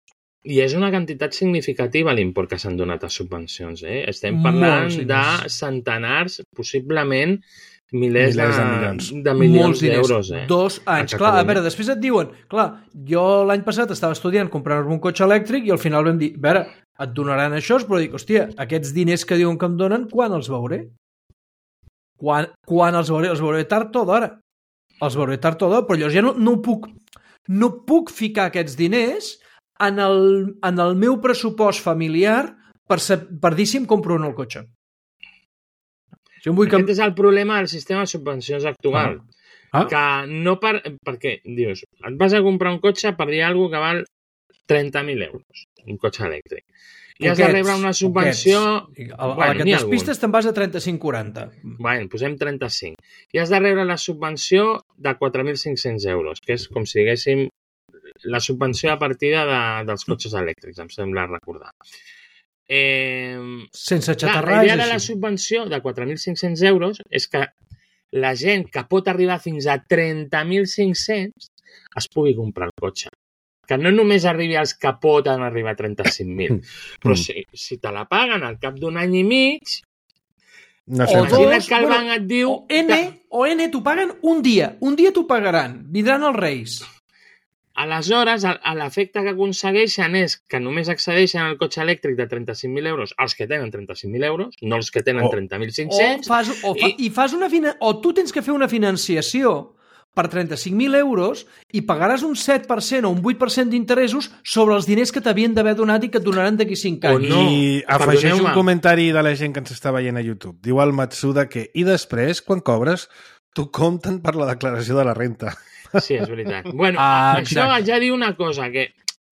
I és una quantitat significativa l'import que s'han donat a subvencions. Eh? Estem parlant Molts de diners. centenars, possiblement milers, Milers de de, milions. de milions Molts diners. d'euros. Eh? Dos anys. A Clar, a Catalunya. veure, després et diuen, clar, jo l'any passat estava estudiant comprar-me un cotxe elèctric i al final vam dir, a veure, et donaran això, però dic, hòstia, aquests diners que diuen que em donen, quan els veuré? Quan, quan els veuré? Els veuré tard o d'hora. Els veuré tard o d'hora, però llavors ja no, no puc no puc ficar aquests diners en el, en el meu pressupost familiar per, per dir si em compro o no el cotxe. Jo em vull que... Aquest és el problema del sistema de subvencions actual. Ah. Que no per... Perquè, dius, et vas a comprar un cotxe per dir alguna que val trenta mil euros, un cotxe elèctric. I has de rebre una subvenció... Poquets. A, a bueno, la que n'hi ha despistes te'n vas a trenta-cinc quaranta. Bueno, posem trenta-cinc. I has de rebre la subvenció de quatre mil cinc-cents euros, que és com si diguéssim la subvenció a partida de, dels cotxes elèctrics, em sembla recordar. Eh, Sense clar, xatarrar la és idea de la així. subvenció de quatre mil cinc-cents euros és que la gent que pot arribar fins a trenta mil cinc-cents es pugui comprar el cotxe. Que no només arribi als que poden arribar a trenta-cinc mil, però si, si te la paguen al cap d'un any i mig, No O sé, dos, imagina't que el bueno, banc et diu... O N, o N t'ho paguen un dia. Un dia t'ho pagaran. Vindran els Reis. Aleshores, a, a l'efecte que aconsegueixen és que només accedeixen al cotxe elèctric de trenta-cinc mil euros els que tenen trenta-cinc mil euros, no els que tenen O- trenta mil O, cinc-cents. fas, o, fa, i fas una fina, o tu tens que fer una financiació per trenta-cinc mil euros i pagaràs un set per cent o un vuit per cent d'interessos sobre els diners que t'havien d'haver donat i que et donaran d'aquí cinc O anys. no. I afegeix un perdoneu-me. comentari de la gent que ens està veient a YouTube. Diu el Matsuda que, i després, quan cobres, t'ho compten per la declaració de la renta. Sí, és veritat. Bueno, Ah, això exacte. ja diu una cosa, que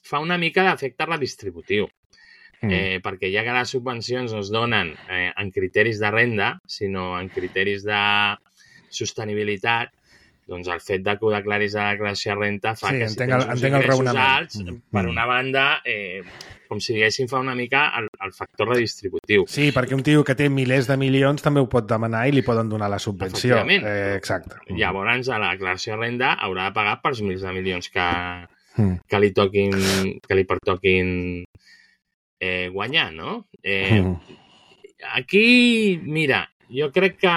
fa una mica d'efecte redistributiu. Mm. Eh, perquè ja que les subvencions no es donen eh, en criteris de renda, sinó en criteris de sostenibilitat, doncs el fet de que ho declaris a la declaració de renta fa Sí, que si entenc tens el- uns entenc el ingressos raonament. alts, Mm. per Mm. una banda, eh, com si diguéssim, fa una mica el, el factor redistributiu. Sí, perquè un tio que té milers de milions també ho pot demanar i li poden donar la subvenció. Efectivament. Eh, exacte. Llavors, a la declaració de renda haurà de pagar pels milers de milions que, Mm. que li toquin, que li pertoquin eh, guanyar, no? Eh, Mm. Aquí, mira, jo crec que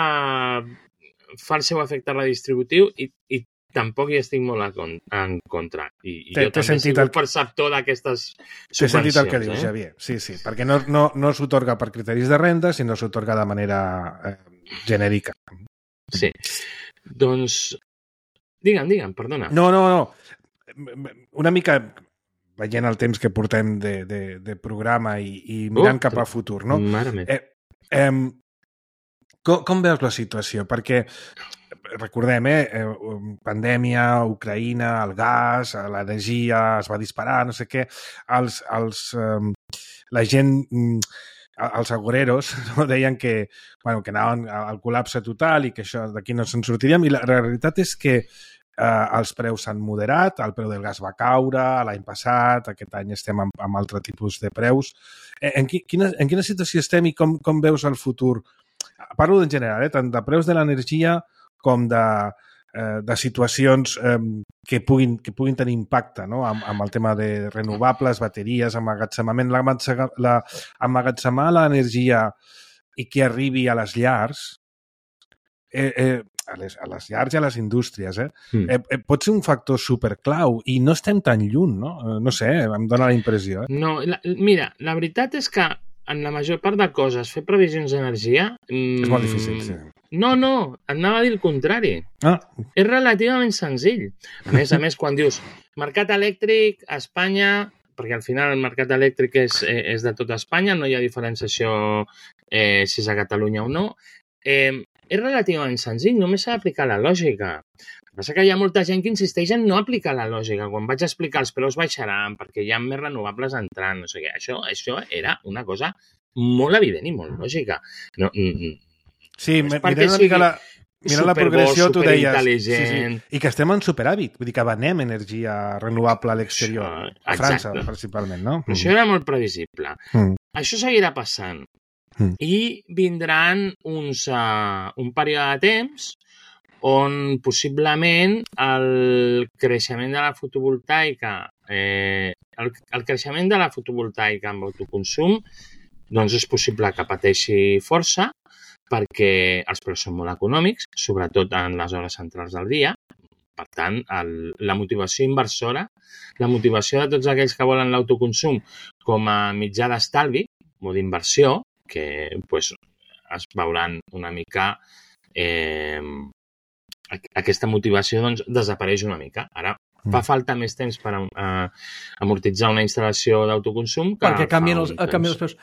fa el seu efecte redistributiu i, i tampoc hi estic molt en con- en contra. I, i T'he- jo t'he també he sentit sigut el- perceptor d'aquestes T'he sentit el que subvencions, dius, eh? Xavier. Sí, sí, perquè no, no, no s'otorga per criteris de renda, sinó s'otorga de manera eh, genèrica. Sí. Doncs, digue'm, digue'm, perdona. No, no, no. Una mica veient el temps que portem de, de, de programa i, i mirant Oh, cap a futur, no? Mare meva. Eh, eh, com, com veus la situació? Perquè, recordem, eh, eh, pandèmia, Ucraïna, el gas, l'energia es va disparar, no sé què, els, els, eh, la gent, mm, els agoreros no, deien que, bueno, que anaven al col·lapse total i que això d'aquí no se'n sortiríem, i la realitat és que eh, els preus s'han moderat, el preu del gas va caure l'any passat, aquest any estem amb, amb altre tipus de preus. Eh, En, qui, quina, en quina situació estem i com, com veus el futur? Parlo en general, eh, tant de preus de l'energia com de, eh, de situacions eh, que, puguin, que puguin tenir impacte, no? amb, amb el tema de renovables, bateries, emmagatzemament, l'emmagatzemar la, emmagatzemar l'energia i que arribi a les llars, eh, eh, a, les, a les llars i a les indústries, eh? Mm. Eh, eh, pot ser un factor superclau i no estem tan lluny, no? Eh, no sé, em dóna la impressió. Eh? No, la, mira, la veritat és que en la major part de coses, fer previsions d'energia... Mm, És molt difícil, sí. No, no, anava a dir el contrari. Ah, És relativament senzill. A més a més, quan dius mercat elèctric a Espanya, perquè al final el mercat elèctric és, eh, és de tota Espanya, no hi ha diferenciació eh, si és a Catalunya o no, eh, és relativament senzill, només s'ha d'aplicar la lògica. El que passa que hi ha molta gent que insisteix en no aplicar la lògica. Quan vaig explicar els preus baixaran perquè hi ha més renovables entrant, no sé què. Això, això era una cosa molt evident i molt lògica. No, sí, no mirant una mica la, mirant la progressió, tu deies... Sí, sí. I que estem en superàvit, vull dir que venem energia renovable a l'exterior, a França, principalment, no? Però això era molt previsible. Mm. Això seguirà passant. Mm. I vindran uns, uh, un període de temps on possiblement el creixement de la fotovoltaica, eh, el, el creixement de la fotovoltaica amb autoconsum, doncs és possible que pateixi força perquè els preus són molt econòmics, sobretot en les hores centrals del dia. Per tant, el, la motivació inversora, la motivació de tots aquells que volen l'autoconsum com a mitjà d'estalvi o d'inversió, que pues, es veuran una mica... Eh, aquesta motivació doncs, desapareix una mica. Ara fa falta més temps per uh, amortitzar una instal·lació d'autoconsum que perquè canvien els, canvien els preus.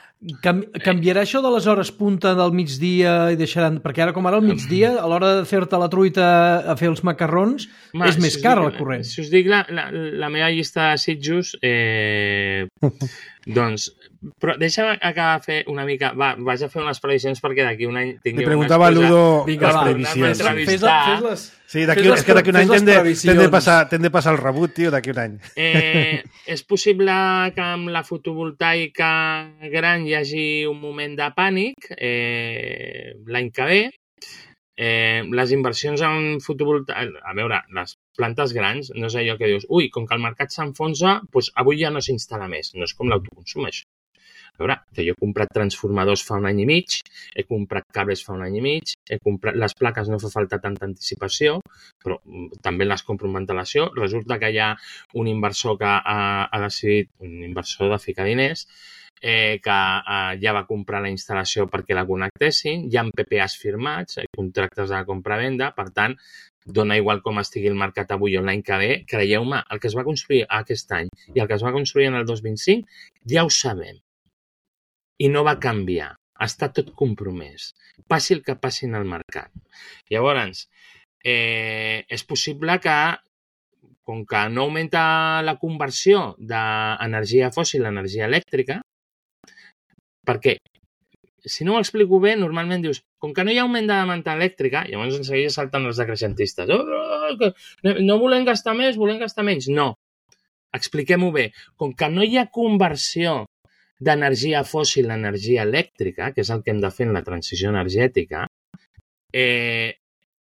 Cam, canviarà això de les hores punta del migdia i deixaran... Perquè ara, com ara, al migdia, a l'hora de fer-te la truita a fer els macarrons, Ma, és més si car el corrent. Si us dic la, la, la meva llista de sitjos, eh, doncs... Però deixa'm acabar de fer una mica... Va, vaig a fer unes previsions perquè d'aquí un any tingueu... Li preguntava a Ludo les previsions. Fes-les. Sí, d'aquí és que d'aquí un any t'hem de, de, passar, de passar el rebut, tio, d'aquí un any. Eh, és possible que amb la fotovoltaica gran hi hagi un moment de pànic eh, l'any que ve. Eh, les inversions en fotovoltaica... A veure, les plantes grans, no és allò que dius ui, com que el mercat s'enfonsa, doncs avui ja no s'instal·la més. No és com l'autoconsum, això. A veure, que jo he comprat transformadors fa un any i mig, he comprat cables fa un any i mig, he comprat les plaques no fa falta tanta anticipació, però també les compro amb antelació. Resulta que hi ha un inversor que ha, ha decidit, un inversor de ficar diners, eh, que eh, ja va comprar la instal·lació perquè la connectessin, hi ha P P As firmats, eh, contractes de compra-venda, per tant, dona igual com estigui el mercat avui o l'any que ve, creieu-me, el que es va construir aquest any i el que es va construir en el dos mil vint-cinc, ja ho sabem. I no va canviar. Està tot compromès. Passi el que passi en el mercat. Llavors, eh, és possible que, com que no augmenta la conversió d'energia fòssil a energia elèctrica, perquè, si no ho explico bé, normalment dius, com que no hi ha augment de demanda elèctrica, llavors en seguida salten els decreixentistes. Oh, oh, oh, no volem gastar més, volem gastar menys. No. Expliquem-ho bé. Com que no hi ha conversió d'energia fòssil a energia elèctrica, que és el que hem de fer en la transició energètica, eh,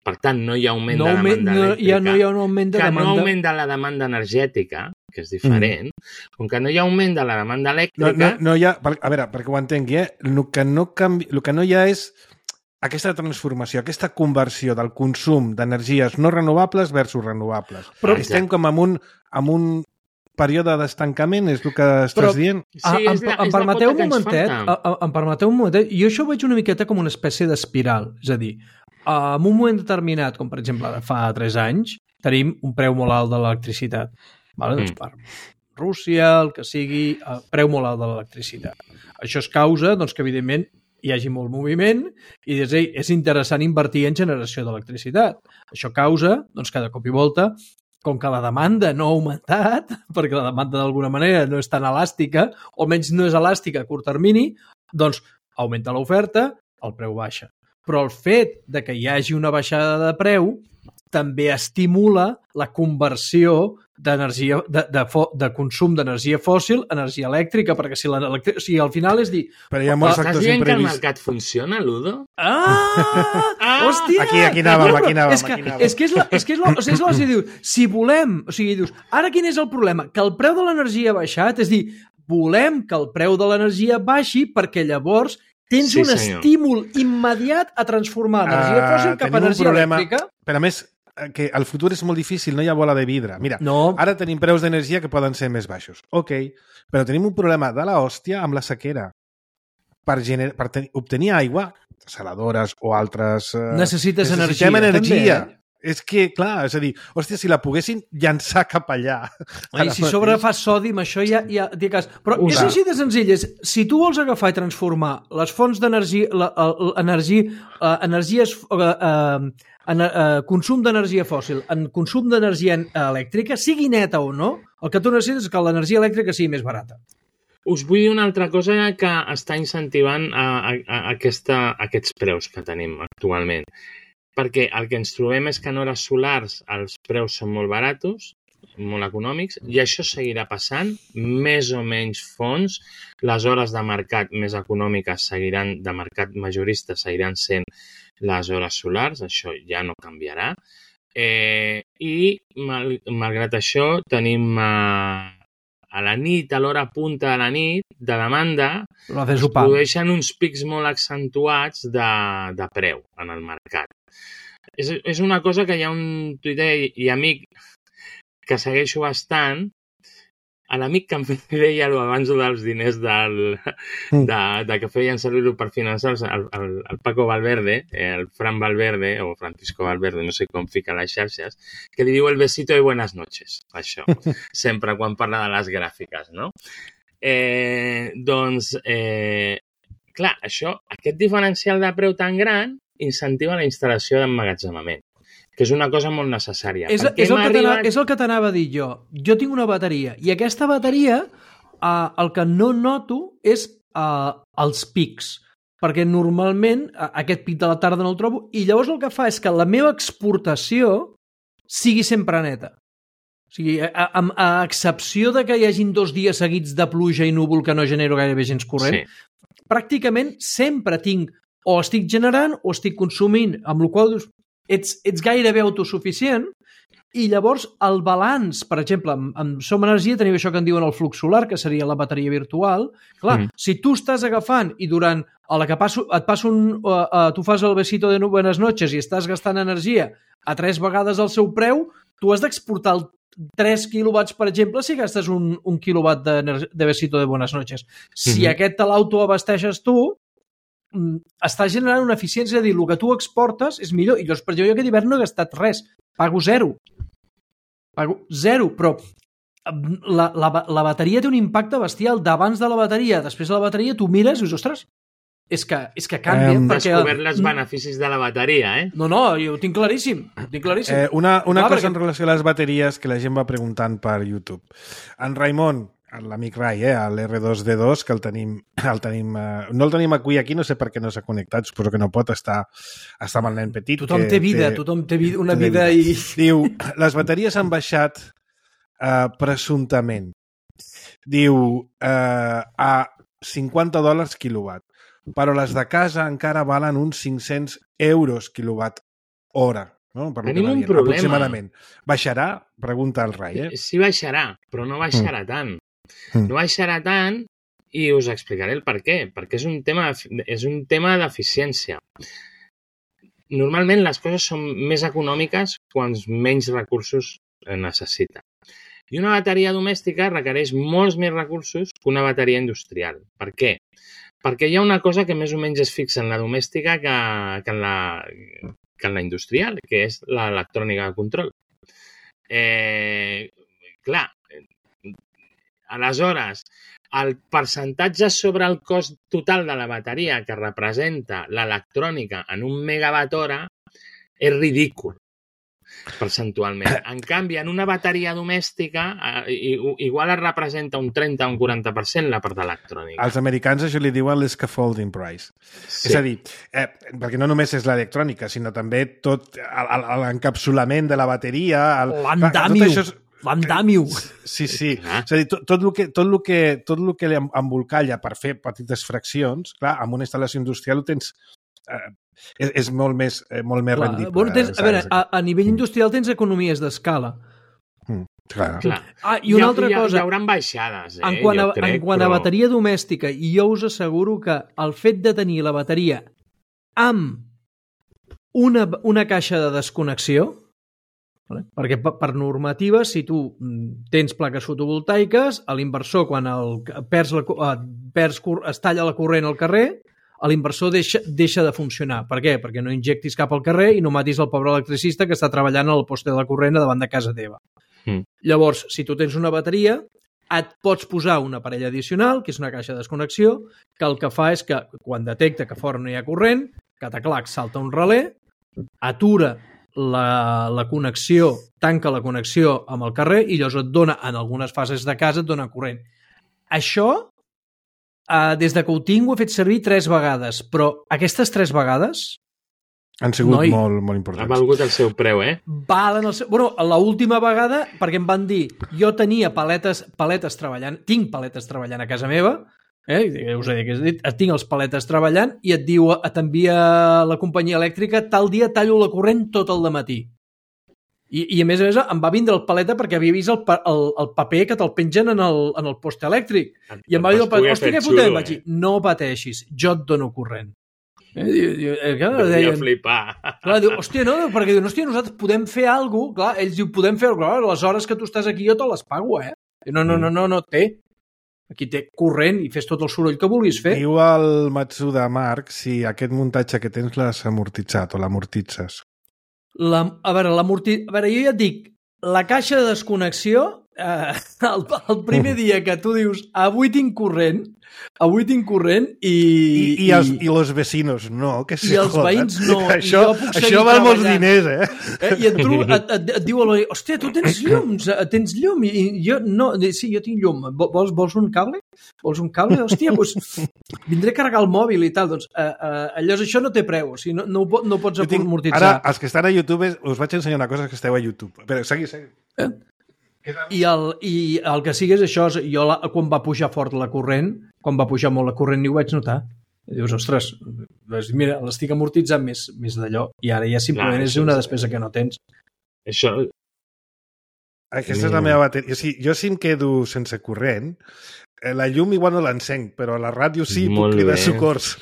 per tant, no hi ha augment no de demanda no, elèctrica, ja no hi ha un augment de que demanda... no augmenta la demanda energètica, que és diferent, mm. com que no hi ha augment de la demanda elèctrica... No, no, no hi ha, a veure, perquè ho entengui, eh? el, que no canvi, el que no hi ha és aquesta transformació, aquesta conversió del consum d'energies no renovables versus renovables. Però estem com amb un, amb un període d'estancament, és el que estàs Però, dient? Sí, ah, em, la, em, permeteu un momentet, em, em permeteu un momentet, jo això ho veig una miqueta com una espècie d'espiral, és a dir, en un moment determinat, com per exemple fa tres anys, tenim un preu molt alt de l'electricitat. Vale? Mm. Doncs per Rússia, el que sigui, el preu molt alt de l'electricitat. Això es causa doncs, que, evidentment, hi hagi molt moviment i dius, ei, és interessant invertir en generació d'electricitat. Això causa, doncs, cada cop i volta, com que la demanda no ha augmentat, perquè la demanda d'alguna manera no és tan elàstica, o almenys no és elàstica a curt termini, doncs augmenta l'oferta, el preu baixa. Però el fet de que hi hagi una baixada de preu també estimula la conversió d'energia, de, de, de consum d'energia fòssil a energia elèctrica, perquè si, la, o sigui, al final és dir... Però hi ha molts factors imprevistos. Estàs dient que el mercat funciona, Ludo? Ah! ah! Hòstia! Aquí, aquí anàvem, aquí anàvem. És que, és que és la... És que és la, és la, és la diu, si volem... O sigui, dius, ara quin és el problema? Que el preu de l'energia ha baixat, és dir, volem que el preu de l'energia baixi perquè llavors tens sí, un senyor. estímul immediat a transformar energia fòssil uh, cap a energia elèctrica. Però a més, que el futur és molt difícil, no hi ha bola de vidre. Mira, no. Ara tenim preus d'energia que poden ser més baixos. Ok, però tenim un problema de la hòstia amb la sequera. Per, gener... per ten... obtenir aigua, saladores o altres... Necessites Necessitem energia. energia. També. És que, clar, és a dir, hòstia, si la poguessin llançar cap allà... I si sobre fa sodi, amb això ja... ja cas. Però Usa. és així de senzill. És, si tu vols agafar i transformar les fonts d'energia, l'energia, energies, eh, eh, eh, consum d'energia fòssil en consum d'energia elèctrica, sigui neta o no, el que tu necessites és que l'energia elèctrica sigui més barata. Us vull dir una altra cosa que està incentivant a, a, a, aquesta, a aquests preus que tenim actualment. Perquè el que ens trobem és que en hores solars els preus són molt baratos, molt econòmics, i això seguirà passant, més o menys fons, les hores de mercat més econòmiques seguiran, de mercat majorista seguiran sent les hores solars, això ja no canviarà, eh, i mal, malgrat això tenim eh, a la nit, a l'hora punta de la nit, de demanda, es produeixen uns pics molt accentuats de, de preu en el mercat. És, és una cosa que hi ha un tuiter i, i amic que segueixo bastant, a l'amic que em deia abans dels diners del, de, de que feien servir-ho per finançar el, el, el Paco Valverde, el Fran Valverde, o Francisco Valverde, no sé com fica les xarxes, que li diu el besito de buenas noches, això, sempre quan parla de les gràfiques, no? Eh, doncs, eh, clar, això, aquest diferencial de preu tan gran incentiva la instal·lació d'emmagatzemament, que és una cosa molt necessària. És, és, el, que arribat... és el que t'anava a dir jo. Jo tinc una bateria, i aquesta bateria, eh, el que no noto és eh, els pics, perquè normalment eh, aquest pic de la tarda no el trobo, i llavors el que fa és que la meva exportació sigui sempre neta. O sigui, a, a, a excepció de que hi hagin dos dies seguits de pluja i núvol que no genero gairebé gens corrent, sí. Pràcticament sempre tinc o estic generant o estic consumint, amb la qual cosa ets, ets gairebé autosuficient, i llavors el balanç, per exemple, amb, amb Som Energia tenim això que en diuen el flux solar, que seria la bateria virtual. Clar, mm. si tu estàs agafant i durant a la que passo, et passo un, uh, uh, tu fas el besito de buenas noches i estàs gastant energia a tres vegades el seu preu, tu has d'exportar el tres quilowatts, per exemple, si gastes un, un quilowatt de, de besito de buenas noches. Si mm-hmm. aquest te l'autoabasteixes tu, està generant una eficiència, de dir, el que tu exportes és millor. I llavors, per exemple, jo aquest hivern no he gastat res, pago zero. Pago zero, però la, la, la bateria té un impacte bestial. D'abans de la bateria, després de la bateria, tu mires i dius, ostres, és que, és que canvia. Hem perquè... descobert els beneficis de la bateria, eh? No, no, jo ho tinc claríssim. Ho tinc claríssim. Eh, una una Clar, cosa perquè... en relació a les bateries que la gent va preguntant per YouTube. En Raimon, l'amic Rai, eh, l'R dos D dos, que el tenim, el tenim eh, no el tenim avui aquí, no sé per què no s'ha connectat, suposo que no pot estar, estar amb el nen petit. Tothom té vida, té, tothom té vida, una té vida, vida i... Diu, les bateries han baixat eh, presumptament. Diu, eh, a cinquanta dòlars quilowatt, però les de casa encara valen uns cinc-cents euros quilowatt hora. No? Per Tenim un dient, problema. Aproximadament. Baixarà? Pregunta el Rai. Eh? Sí, baixarà, però no baixarà mm. tant. No baixarà tant i us explicaré el per què. Perquè és un tema, és un tema d'eficiència. Normalment les coses són més econòmiques quan menys recursos necessita. I una bateria domèstica requereix molts més recursos que una bateria industrial. Per què? Perquè hi ha una cosa que més o menys es fixa en la domèstica que, que, en, la, que en la industrial, que és l'electrònica de control. Eh, clar, aleshores, el percentatge sobre el cost total de la bateria que representa l'electrònica en un megawatt hora és ridícul, percentualment. En canvi, en una bateria domèstica, eh, igual es representa un trenta o un quaranta per cent la part electrònica. Els americans això li diuen l'escaffolding price. Sí. És a dir, eh, perquè no només és l'electrònica, sinó també tot l'encapsulament de la bateria... L'andamiu! Tot això és... L'andamiu. Sí, sí. Ah. És a dir, tot, tot, el que, tot, el que, tot el que embolcalla per fer petites fraccions, clar, amb una instal·lació industrial ho tens... Eh, és, és molt més, eh, molt més clar, rendible. Bueno, tens, a veure, a, a nivell industrial tens economies d'escala. Mm, clar. clar. Ah, i una hi ha, altra cosa... Hi haurà baixades, eh? En quant a, jo crec, en quant però... a bateria domèstica, i jo us asseguro que el fet de tenir la bateria amb una, una caixa de desconnexió, vale? Perquè per normativa, si tu tens plaques fotovoltaiques, a l'inversor, quan el, perds la, perds, es talla la corrent al carrer, l'inversor deixa, deixa de funcionar. Per què? Perquè no injectis cap al carrer i no matis el pobre electricista que està treballant al poste de corrent davant de casa teva. Mm. Llavors, si tu tens una bateria, et pots posar un aparell addicional, que és una caixa de desconnexió, que el que fa és que quan detecta que fora no hi ha corrent, cataclac, salta un relé, atura la, la connexió, tanca la connexió amb el carrer i llavors et dona, en algunes fases de casa, et dona corrent. Això, eh, des de que ho tinc, ho he fet servir tres vegades, però aquestes tres vegades... Han sigut Noi, molt, molt importants. Ha valgut el seu preu, eh? Valen el seu... Bueno, l'última vegada, perquè em van dir, jo tenia paletes, paletes treballant, tinc paletes treballant a casa meva, eh? Us he dit, tinc els paletes treballant i et diu, t'envia la companyia elèctrica, tal dia tallo la corrent tot el dematí. I, i a més a més em va vindre el paleta perquè havia vist el, el, el paper que te'l pengen en el, en el poste elèctric. I em va dir el paper, hòstia, què fotem? Vaig dir, no pateixis, jo et dono corrent. Eh, diu, diu, eh, clar, deien, flipar. Clar, diu, hòstia, no, perquè diu, hòstia, nosaltres podem fer alguna cosa, clar, ells diu, podem fer alguna cosa, les hores que tu estàs aquí jo te les pago, eh? No, no, no, no, no té. Aquí té corrent i fes tot el soroll que vulguis fer. Diu el Matsuda Marc si aquest muntatge que tens l'has amortitzat o l'amortitzes. La, a veure, l'amorti... a veure, jo ja et dic, la caixa de desconnexió, eh, el, el primer dia que tu dius, avui tinc corrent, avui tinc corrent i... I, i, els, i los vecinos no, que se I els veïns no. Això, això val molts diners, eh? eh? I et, et, et, et diu a l'oi, hòstia, tu tens llums, tens llum? I jo, no, sí, jo tinc llum. Vols, vols un cable? Vols un cable? Hòstia, doncs vindré a carregar el mòbil i tal. Doncs eh, eh, llavors això no té preu, o sigui, no, no, no pots tinc, amortitzar. Ara, els que estan a YouTube, us vaig ensenyar una cosa que esteu a YouTube. Però segui, segui. Eh? I el, I el que sigui és això, jo la, quan va pujar fort la corrent, quan va pujar molt la corrent, ni ho vaig notar. I dius, ostres, mira, l'estic amortitzant més, més d'allò, i ara ja simplement Clar, és una despesa que no tens. Això... Aquesta és la meva bateria. O sigui, jo si em quedo sense corrent, la llum igual no l'encenc, però la ràdio sí, Molt puc cridar bé. socors.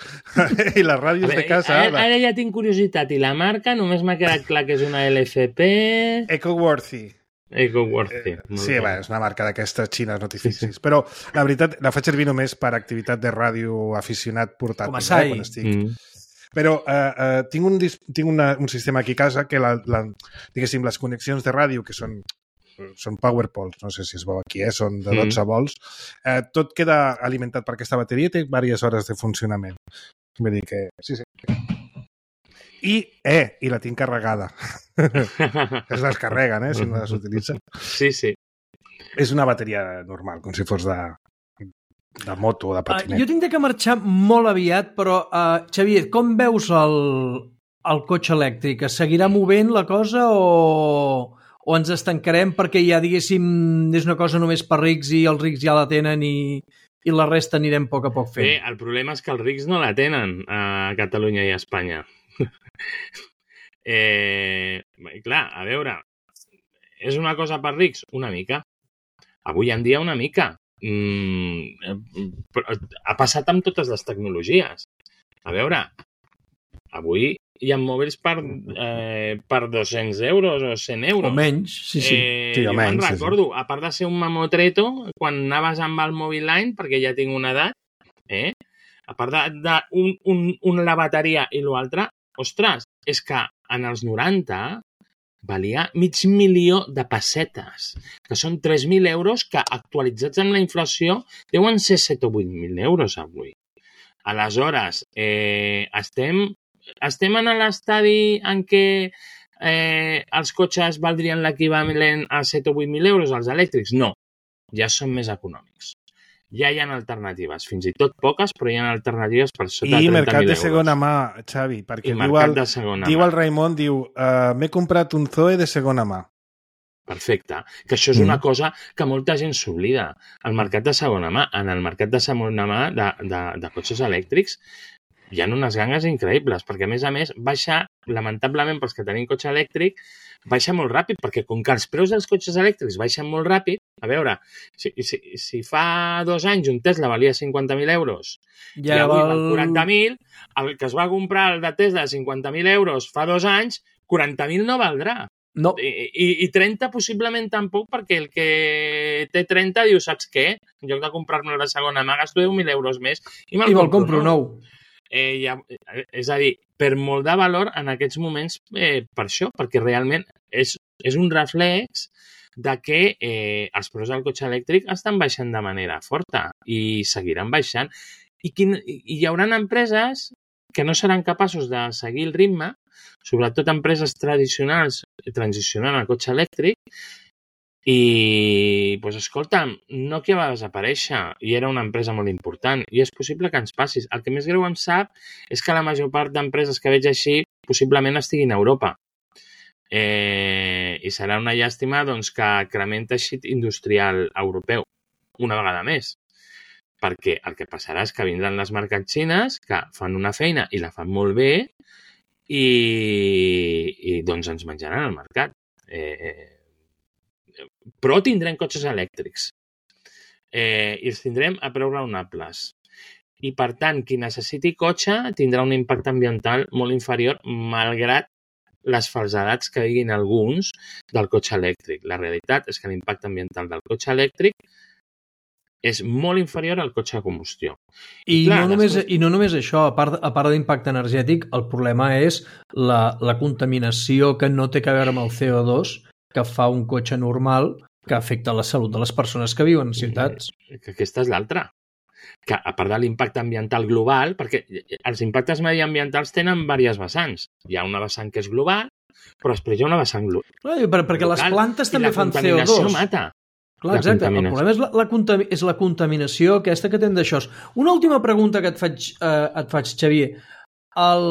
I les ràdios veure, de casa... Ara, ara ja tinc curiositat. I la marca només m'ha quedat clar que és una L F P... EcoWorthy. EcoWorthy. Eh, sí, bé, és una marca d'aquestes xines, no t'hi fixis. Però la veritat, la faig servir només per activitat de ràdio aficionat portàtil. Com a sai. Eh, quan estic. Mm. Però eh, eh, tinc, un, tinc una, un sistema aquí a casa que, la, la, diguéssim, les connexions de ràdio, que són, són PowerPoles, no sé si es veu aquí, eh, són de dotze mm. volts, eh, tot queda alimentat per aquesta bateria i té diverses hores de funcionament. Vull dir que... Sí, sí. I, eh, i la tinc carregada. Es descarreguen, eh, si no les utilitzen. Sí, sí. És una bateria normal, com si fos de, de moto o de patinet. Uh, jo tinc que marxar molt aviat, però, uh, Xavier, com veus el, el cotxe elèctric? Es seguirà movent la cosa o, o ens estancarem perquè ja, diguéssim, és una cosa només per rics i els rics ja la tenen i, i la resta anirem a poc a poc fent? Bé, el problema és que els rics no la tenen a Catalunya i a Espanya. eh, clar, a veure, és una cosa per rics? Una mica. Avui en dia una mica. Mm, ha passat amb totes les tecnologies. A veure, avui hi ha mòbils per, eh, per dos-cents euros o cent euros. O menys, sí, sí. Eh, sí jo menys, me'n recordo, sí, sí. A part de ser un mamotreto, quan anaves amb el Mobile Line, perquè ja tinc una edat, eh? A part de, de un, un, un, la bateria i l'altre, ostres, és que en els noranta valia mig milió de pessetes, que són tres mil euros que actualitzats amb la inflació deuen ser set o vuit mil euros avui. Aleshores, eh, estem, estem en l'estadi en què eh, els cotxes valdrien l'equivalent a set o vuit mil euros, els elèctrics? No, ja són més econòmics. Ja hi ha alternatives, fins i tot poques, però hi ha alternatives per sota de trenta mil euros. I mercat de segona mà, Xavi, perquè diu el, diu el Raimon, diu, uh, m'he comprat un Zoe de segona mà. Perfecte, que això és una cosa que molta gent s'oblida. El mercat de segona mà, en el mercat de segona mà de, de, de cotxes elèctrics hi ha unes gangues increïbles, perquè a més a més baixa, lamentablement pels que tenim cotxe elèctric, baixa molt ràpid, perquè com que els preus dels cotxes elèctrics baixen molt ràpid, a veure, si, si, si fa dos anys un Tesla valia cinquanta mil euros ja i avui val quaranta mil, el que es va comprar el de Tesla de cinquanta mil euros fa dos anys, quaranta mil no valdrà. No. I, i, I trenta possiblement tampoc, perquè el que té trenta diu, saps què? En lloc de comprar-me la segona mà, gasto deu mil euros més i me'l I me'l compro nou. Eh, ja, és a dir, per molt de valor en aquests moments eh, per això, perquè realment és, és un reflex de que eh, els preus del cotxe elèctric estan baixant de manera forta i seguiran baixant. I, quin, i hi haurà empreses que no seran capaços de seguir el ritme, sobretot empreses tradicionals transicionant al cotxe elèctric, i, doncs, escolta'm, Nokia va desaparèixer i era una empresa molt important i és possible que ens passi. El que més greu em sap és que la major part d'empreses que veig així possiblement estiguin a Europa. Eh, I serà una llàstima doncs, que crement teixit industrial europeu una vegada més. Perquè el que passarà és que vindran les marques xines que fan una feina i la fan molt bé i, i doncs ens menjaran el mercat. Eh, però tindrem cotxes elèctrics eh, i els tindrem a preus raonables. I, per tant, qui necessiti cotxe tindrà un impacte ambiental molt inferior, malgrat les falsedats que diguin alguns del cotxe elèctric. La realitat és que l'impacte ambiental del cotxe elèctric és molt inferior al cotxe de combustió. I, I, clar, no, només, les... I no només això, a part, a part d'impacte energètic, el problema és la, la contaminació que no té a veure amb el C O dos que fa un cotxe normal que afecta la salut de les persones que viuen en ciutats. Que aquesta és l'altra. Que a part de l'impacte ambiental global, perquè els impactes mediambientals tenen diverses vessants. Hi ha una vessant que és global, però després hi ha una vessant global. Per, perquè local, les plantes també fan C O dos. I la contaminació mata. Clar, exacte. El problema és la, la, contami és la contaminació aquesta que tenen d'això. Una última pregunta que et faig, eh, et faig Xavier. El...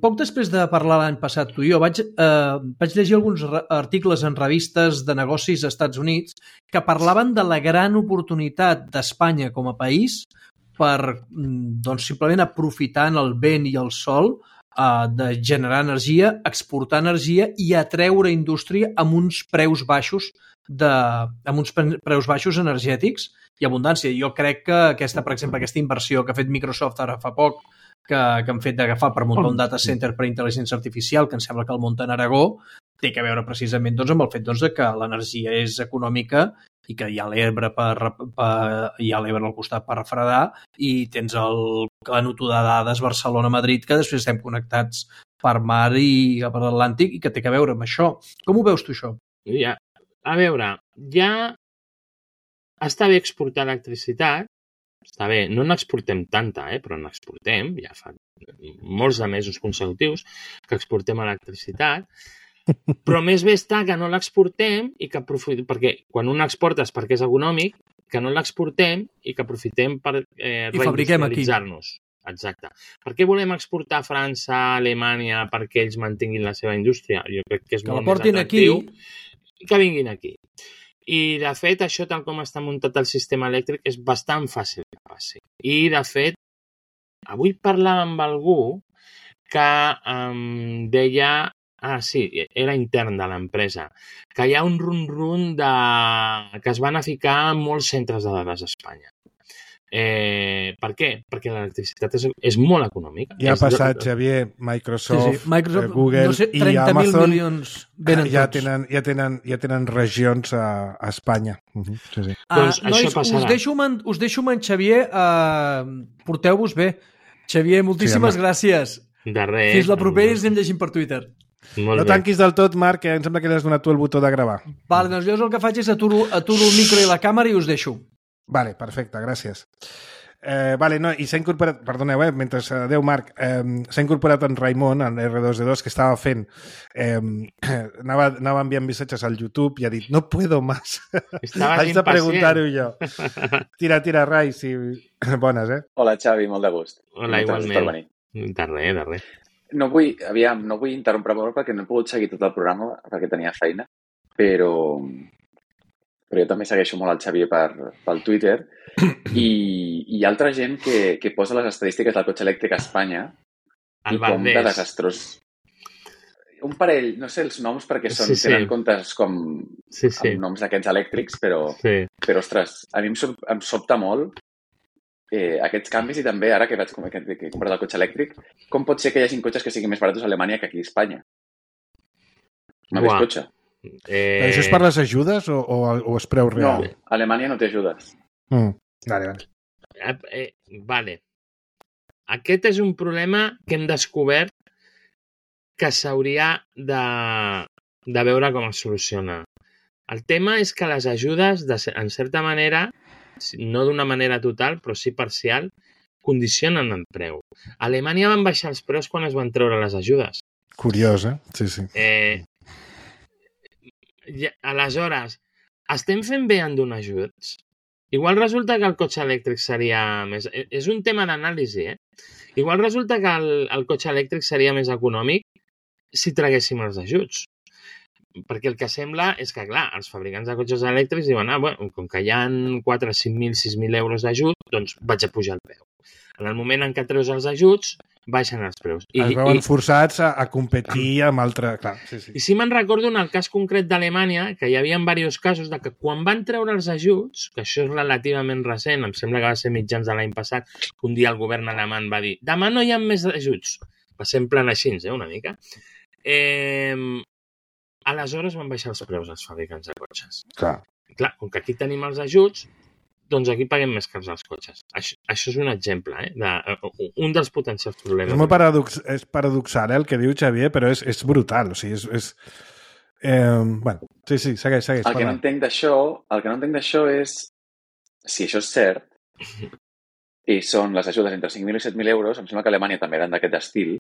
Poc després de parlar l'any passat tu i jo vaig, eh, vaig llegir alguns articles en revistes de negocis als Estats Units que parlaven de la gran oportunitat d'Espanya com a país per doncs, simplement aprofitant el vent i el sol eh, de generar energia, exportar energia i atreure indústria amb uns preus baixos de, amb uns preus baixos energètics i abundància. Jo crec que aquesta, per exemple, aquesta inversió que ha fet Microsoft ara fa poc que, que han fet d'agafar per muntar un data center per intel·ligència artificial, que em sembla que el munten a Aragó, té a veure precisament doncs, amb el fet doncs, que l'energia és econòmica i que hi ha l'Ebre per, per, hi ha l'Ebre al costat per refredar i tens el canut de dades Barcelona-Madrid, que després estem connectats per mar i per l'Atlàntic i que té a veure amb això. Com ho veus tu, això? Ja, a veure, ja està bé exportar electricitat, està bé, no n'exportem tanta, eh, però n'exportem, ja fa molts de mesos consecutius que exportem electricitat, però més bé està que no l'exportem i que aprofitem, perquè quan un exporta és perquè és econòmic, que no l'exportem i que aprofitem per eh, reindustrialitzar-nos. Exacte. Per què volem exportar a França, a Alemanya, perquè ells mantinguin la seva indústria? Jo crec que és que molt més atractiu aquí. Que vinguin aquí. I, de fet, això, tal com està muntat el sistema elèctric, és bastant fàcil que passi. I, de fet, avui parlava amb algú que em deia, ah, sí, era intern de l'empresa, que hi ha un run-run de... que es van a ficar molts centres de dades a Espanya. Eh, per què? Perquè l'electricitat és, és molt econòmica. Ja ha passat, Xavier, Microsoft, sí, sí. Microsoft eh, Google no sé, i Amazon milions venen ja tots. tenen, ja, tenen, ja tenen regions a, a Espanya. Uh -huh. sí, sí. Ah, doncs nois, això passarà. Us deixo, man, us deixo amb en Xavier. Uh, Porteu-vos bé. Xavier, moltíssimes sí, gràcies. De res. Fins la propera i ens anem llegint per Twitter. Molt no bé. tanquis del tot, Marc, que em sembla que li has donat tu el botó de gravar. Vale, doncs jo el que faig és aturo, aturo el micro i la càmera i us deixo. Vale, perfecte, gràcies. Eh, vale, no, i s'ha incorporat, perdoneu, eh, mentre, adeu Marc, eh, s'ha incorporat en Raimon, en R dos D dos, que estava fent, eh, anava, anava enviant missatges al YouTube i ha dit, no puedo más. Haig de preguntar-ho jo. Tira, tira, Rai, sí. Bones, eh? Hola, Xavi, molt de gust. Hola, igualment. De res, de res. No vull, aviam, no vull interrompre molt perquè no he pogut seguir tot el programa perquè tenia feina, però, però jo també segueixo molt el Xavier per, pel Twitter i, i hi ha altra gent que, que posa les estadístiques del cotxe elèctric a Espanya el i com de desastrós. Un parell, no sé els noms perquè són, sí, sí. tenen comptes com sí, sí. amb noms d'aquests elèctrics, però, sí. però ostres, a mi em, sop, em sobta molt eh, aquests canvis i també ara que vaig que, que he comprat el cotxe elèctric, com pot ser que hi hagi cotxes que siguin més baratos a Alemanya que aquí a Espanya? M'ha vist cotxe. Eh... Però això és per les ajudes o, o, o és preu real? No, a Alemanya no té ajudes. Mm. Vale, vale. Eh, eh, vale. aquest és un problema que hem descobert que s'hauria de, de veure com es soluciona. El tema és que les ajudes, de, en certa manera, no d'una manera total, però sí parcial, condicionen el preu. A Alemanya van baixar els preus quan es van treure les ajudes. Curiós, eh? Sí, sí. Eh, ja, aleshores, estem fent bé en donar ajuts? Igual resulta que el cotxe elèctric seria més... És un tema d'anàlisi, eh? Igual resulta que el, el cotxe elèctric seria més econòmic si traguéssim els ajuts. Perquè el que sembla és que, clar, els fabricants de cotxes elèctrics diuen, ah, bueno, com que hi ha quatre, cinc mil, sis mil euros d'ajut, doncs vaig a pujar el preu. En el moment en què treus els ajuts, baixen els preus. I, es veuen i, forçats a, a competir amb altre... Clar, sí, sí. I sí me'n recordo en el cas concret d'Alemanya, que hi havia diversos casos de que quan van treure els ajuts, que això és relativament recent, em sembla que va ser mitjans de l'any passat, que un dia el govern alemany va dir demà no hi ha més ajuts. Va ser en plan així, eh, una mica. Eh... Aleshores van baixar els preus als fabricants de cotxes. Clar. Clar, com que aquí tenim els ajuts, doncs aquí paguem més cars als cotxes. Això, això és un exemple, eh? De, un dels potencials problemes. És molt paradox, és paradoxal, eh, el que diu Xavier, però és, és brutal. O sigui, és... és eh, bueno, sí, sí, segueix, segueix. El que no entenc d'això, el que no entenc d'això és si això és cert i són les ajudes entre cinc mil i set mil euros, em sembla que a Alemanya també eren d'aquest estil.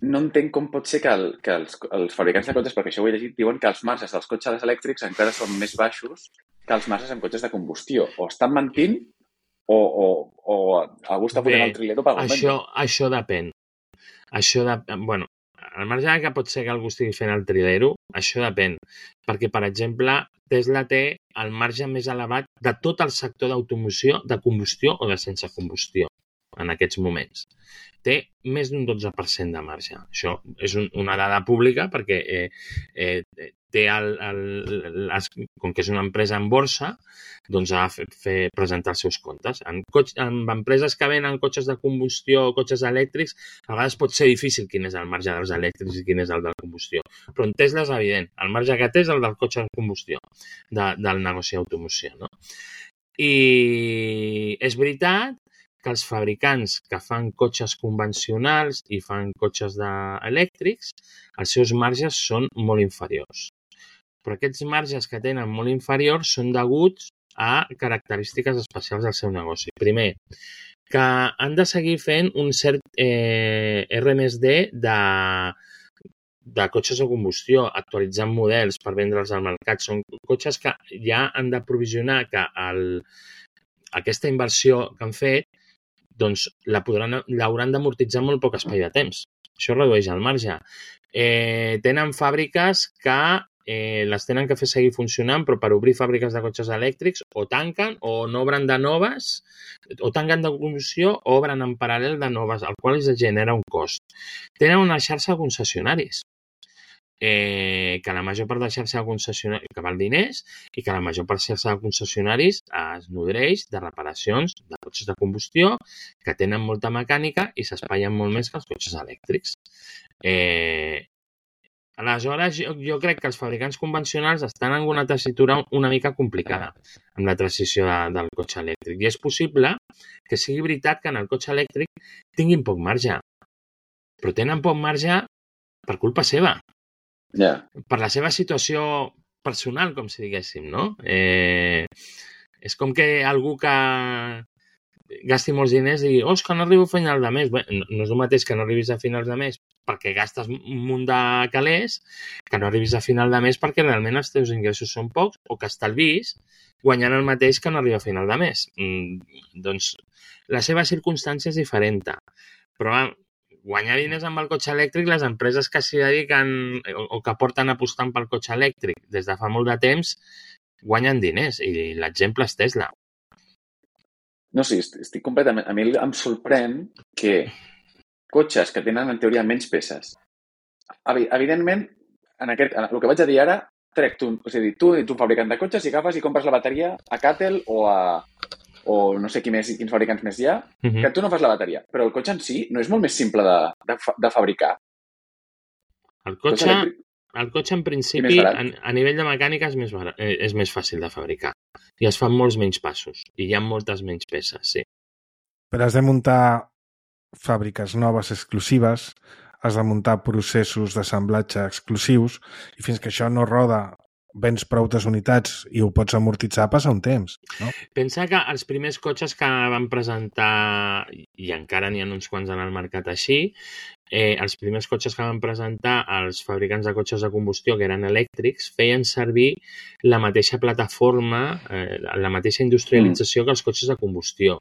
No entenc com pot ser que, el, que els, els fabricants de cotxes, perquè això ho he llegit, diuen que els marges dels cotxes elèctrics encara són més baixos que els marges en cotxes de combustió. O estan mentint o, o, o algú està fotent el trilero per algun això, això depèn. Això depèn. Bueno, al marge que pot ser que algú estigui fent el trilero, això depèn. Perquè, per exemple, Tesla té el marge més elevat de tot el sector d'automoció, de combustió o de sense combustió en aquests moments. Té més d'un dotze per cent de marge. Això és un, una dada pública perquè eh, eh, té el, el, les, com que és una empresa en borsa, doncs ha de fer, fer presentar els seus comptes. En, cotx, en empreses que venen cotxes de combustió o cotxes elèctrics, a vegades pot ser difícil quin és el marge dels elèctrics i quin és el de la combustió. Però en Tesla és evident. El marge que té és el del cotxe de combustió, de, del negoci d'automoció. No? I és veritat que els fabricants que fan cotxes convencionals i fan cotxes de... elèctrics, els seus marges són molt inferiors. Però aquests marges que tenen molt inferiors són deguts a característiques especials del seu negoci. Primer, que han de seguir fent un cert eh, R més D de, de cotxes de combustió, actualitzant models per vendre'ls al mercat. Són cotxes que ja han de provisionar que el, aquesta inversió que han fet doncs l'hauran d'amortitzar molt poc espai de temps. Això redueix el marge. Eh, tenen fàbriques que eh, les tenen que fer seguir funcionant, però per obrir fàbriques de cotxes elèctrics o tanquen o n'obren de noves, o tanquen de combustió o obren en paral·lel de noves, el qual els genera un cost. Tenen una xarxa de concessionaris. Eh, que la major part de xarxa de concessionaris, que val diners, i que la major part de xarxa de concessionaris es nodreix de reparacions de cotxes de combustió que tenen molta mecànica i s'espaien molt més que els cotxes elèctrics. Eh, aleshores, jo, jo crec que els fabricants convencionals estan en una tessitura una mica complicada amb la transició de, del cotxe elèctric. I és possible que sigui veritat que en el cotxe elèctric tinguin poc marge, però tenen poc marge per culpa seva. Yeah. Per la seva situació personal, com si diguéssim, no? Eh, és com que algú que gasti molts diners digui, oh, és que no arribo a final de mes. Bé, no, no és el mateix que no arribis a finals de mes perquè gastes un munt de calés, que no arribis a final de mes perquè realment els teus ingressos són pocs o que estalvis guanyant el mateix que no arriba a final de mes. Mm, doncs la seva circumstància és diferent. Però guanyar diners amb el cotxe elèctric, les empreses que s'hi dediquen o que porten apostant pel cotxe elèctric des de fa molt de temps guanyen diners i l'exemple és Tesla. No, sí, estic completament... A mi em sorprèn que cotxes que tenen en teoria menys peces. Evidentment, en aquest, en el que vaig a dir ara, trec tu, o sigui, tu ets un fabricant de cotxes i agafes i compres la bateria a Cattel o a... o no sé qui més, quins fabricants més hi ha, uh-huh. que tu no fas la bateria. Però el cotxe en si no és molt més simple de, de, de fabricar. El cotxe, cotxe el cotxe en principi, a, a nivell de mecànica, és més, barat, és més fàcil de fabricar. I es fan molts menys passos. I hi ha moltes menys peces, sí. però has de muntar fàbriques noves exclusives, has de muntar processos d'assemblatge exclusius i fins que això no roda vens prou unitats i ho pots amortitzar passa un temps, no? Pensa que els primers cotxes que van presentar, i encara n'hi ha uns quants en el mercat així, eh, els primers cotxes que van presentar els fabricants de cotxes de combustió, que eren elèctrics, feien servir la mateixa plataforma, eh, la mateixa industrialització que els cotxes de combustió.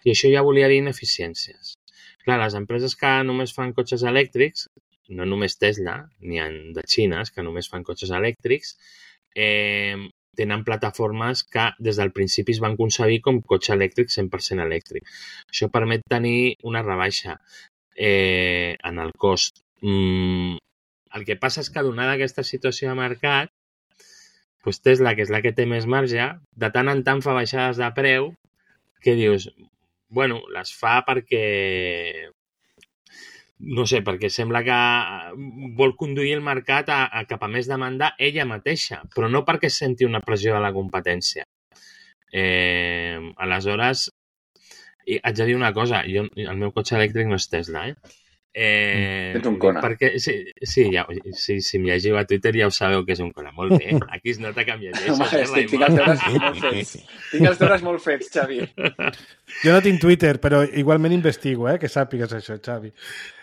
I això ja volia dir ineficiències. Clar, les empreses que només fan cotxes elèctrics, no només Tesla, n'hi ha de xines que només fan cotxes elèctrics, eh, tenen plataformes que des del principi es van concebir com cotxe elèctric cent per cent elèctric. Això permet tenir una rebaixa eh, en el cost. Mm, el que passa és que, donada aquesta situació de mercat, doncs Tesla, que és la que té més marge, de tant en tant fa baixades de preu que dius, bueno, les fa perquè... no sé, perquè sembla que vol conduir el mercat a, a cap a més demanda ella mateixa, però no perquè senti una pressió de la competència. Eh, aleshores, i haig de dir una cosa, jo, el meu cotxe elèctric no és Tesla, eh? Eh, Ets un Kona. Perquè, sí, sí, ja, sí, si em llegiu a Twitter ja ho sabeu que és un Kona. Molt bé, aquí es nota que em llegeixes. Home, eh, estic, tinc els deures molt fets. Tinc els deures molt fets, Xavi. Jo no tinc Twitter, però igualment investigo, eh? Que sàpigues això, Xavi.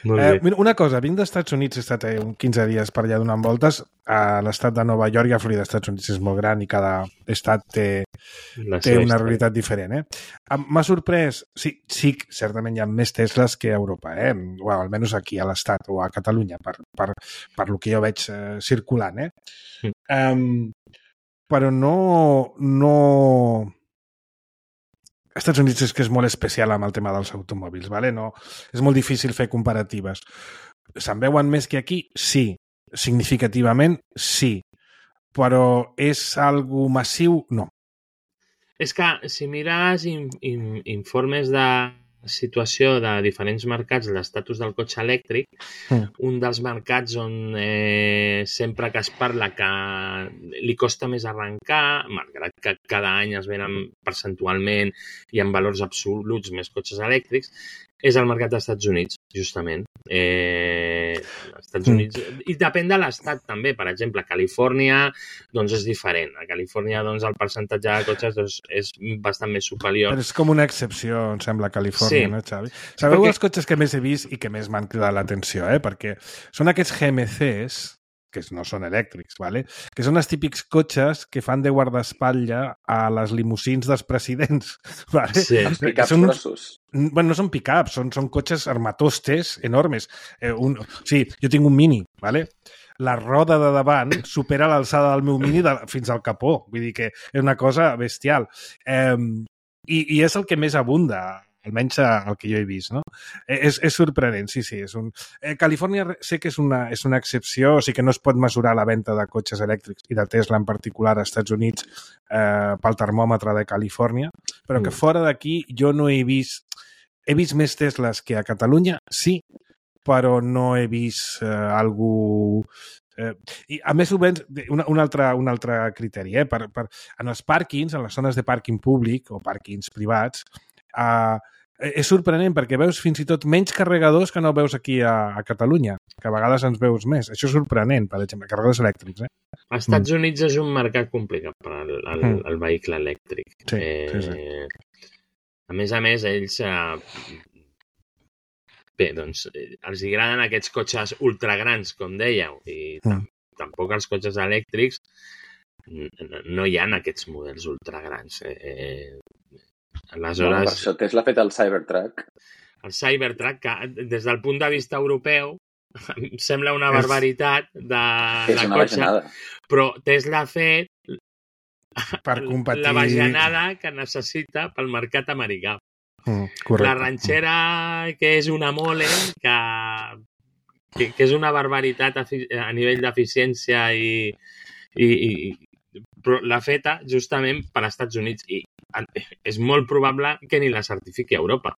Molt Eh, bé. mira, una cosa, vinc dels Estats Units, he estat eh, uns quinze dies per allà donant voltes a l'estat de Nova York i a Florida. Els Estats Units és molt gran i cada estat té, La té seva una història. realitat diferent, eh? Em- M'ha sorprès, sí, sí, certament hi ha més Tesles que a Europa, eh? O almenys aquí a l'estat o a Catalunya, per, per, per lo que jo veig eh, circulant, eh? Mm. Um, però no... no... als Estats Units és que és molt especial amb el tema dels automòbils, ¿vale? No, és molt difícil fer comparatives. Se'n veuen més que aquí? Sí. Significativament? Sí. Però és algo massiu? No. És que si mires in, in, informes de situació de diferents mercats, l'estatus del cotxe elèctric, Mm. un dels mercats on eh, sempre que es parla que li costa més arrencar, malgrat que cada any es venen percentualment i en valors absoluts més cotxes elèctrics, és el mercat dels Estats Units, justament. Eh, als Estats Mm. Units, i depèn de l'estat també. Per exemple, a Califòrnia doncs és diferent. A Califòrnia doncs, el percentatge de cotxes doncs, és bastant més superior. Però és com una excepció, em sembla, a Califòrnia, Sí. no, Xavi? Sabeu Perquè- els cotxes que més he vist i que més m'han cridat l'atenció, eh? Perquè són aquests G M Cs, que no són elèctrics, ¿vale? Que són els típics cotxes que fan de guardaespatlla a les limusins dels presidents. ¿Vale? Sí. Els pick-ups Són uns- grossos. Bueno, no són pick-ups, són, són cotxes armatostes enormes. Eh, un, sí, jo tinc un Mini, ¿vale? La roda de davant supera l'alçada del meu Mini de, fins al capó. Vull dir que és una cosa bestial. Eh, i, I és el que més abunda, almenys el que jo he vist, no? Eh, és, és sorprenent, sí, sí. És un... eh, Califòrnia sé que és una, és una excepció, o sigui que no es pot mesurar la venda de cotxes elèctrics i de Tesla en particular als Estats Units eh, pel termòmetre de Califòrnia, però que Mm. fora d'aquí jo no he vist... He vist més Tesles que a Catalunya, sí, però no he vist eh, algú... Eh, I a més ho veig, un, un, altre, un altre criteri, eh? per, per, en els pàrquings, en les zones de pàrquing públic o pàrquings privats, eh, és sorprenent perquè veus fins i tot menys carregadors que no veus aquí a, a Catalunya, que a vegades ens veus més. Això és sorprenent, per exemple, carregadors elèctrics. Eh? Als Estats Units és un mercat complicat per al, al, Mm. al vehicle elèctric. Sí, eh, sí, sí. A més a més, ells... Eh, bé, doncs, eh, els agraden aquests cotxes ultragrans, com dèieu, i tam Mm. tampoc els cotxes elèctrics n- no hi ha aquests models ultragrans. Eh, eh, Bueno, aleshores, per això Tesla ha fet el Cybertruck. el Cybertruck, que des del punt de vista europeu, em sembla una És- barbaritat de, Que és de una cotxe, bajanada. però Tesla ha fet Per competir... la bajanada que necessita pel mercat americà. Mm, correcte. La ranxera, que és una mole, que, que, que és una barbaritat a, fi- a nivell d'eficiència i, i, i però l'ha feta justament per als Estats Units i és molt probable que ni la certifiqui a Europa.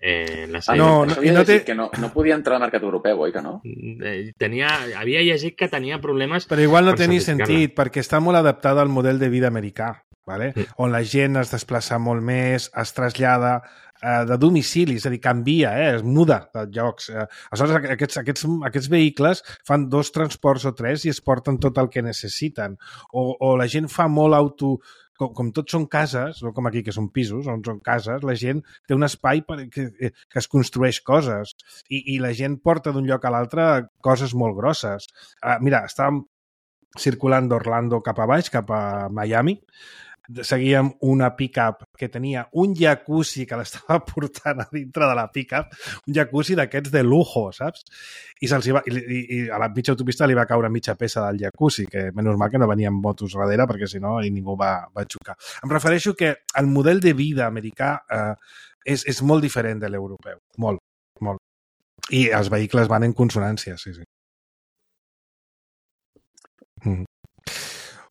Eh, la Ah, No, no, no, no, i no, no té- que no, no podia entrar al mercat europeu, oi que no? Eh, Tenia, havia llegit que tenia problemes... Però igual no per té ni certificar-la. sentit, perquè està molt adaptada al model de vida americà, vale? Sí. On la gent es desplaça molt més, es trasllada eh, de domicili, és a dir, canvia, eh, es muda de llocs. Eh, aleshores, aquests, aquests, aquests vehicles fan dos transports o tres i es porten tot el que necessiten. O, o la gent fa molt auto... Com, com tots són cases, no com aquí que són pisos, on són cases, la gent té un espai per, que, que es construeix coses i, i la gent porta d'un lloc a l'altre coses molt grosses. Uh, mira, estàvem circulant d'Orlando cap a baix, cap a Miami, seguíem una pick-up que tenia un jacuzzi que l'estava portant a dintre de la pick-up, un jacuzzi d'aquests de lujo, saps? I, se'ls va, i, i, i a la mitja autopista li va caure mitja peça del jacuzzi, que menys mal que no venien motos darrere, perquè si no ningú va, va xocar. Em refereixo que el model de vida americà eh, és, és molt diferent de l'europeu, molt, molt. I els vehicles van en consonància, sí, sí. Mm.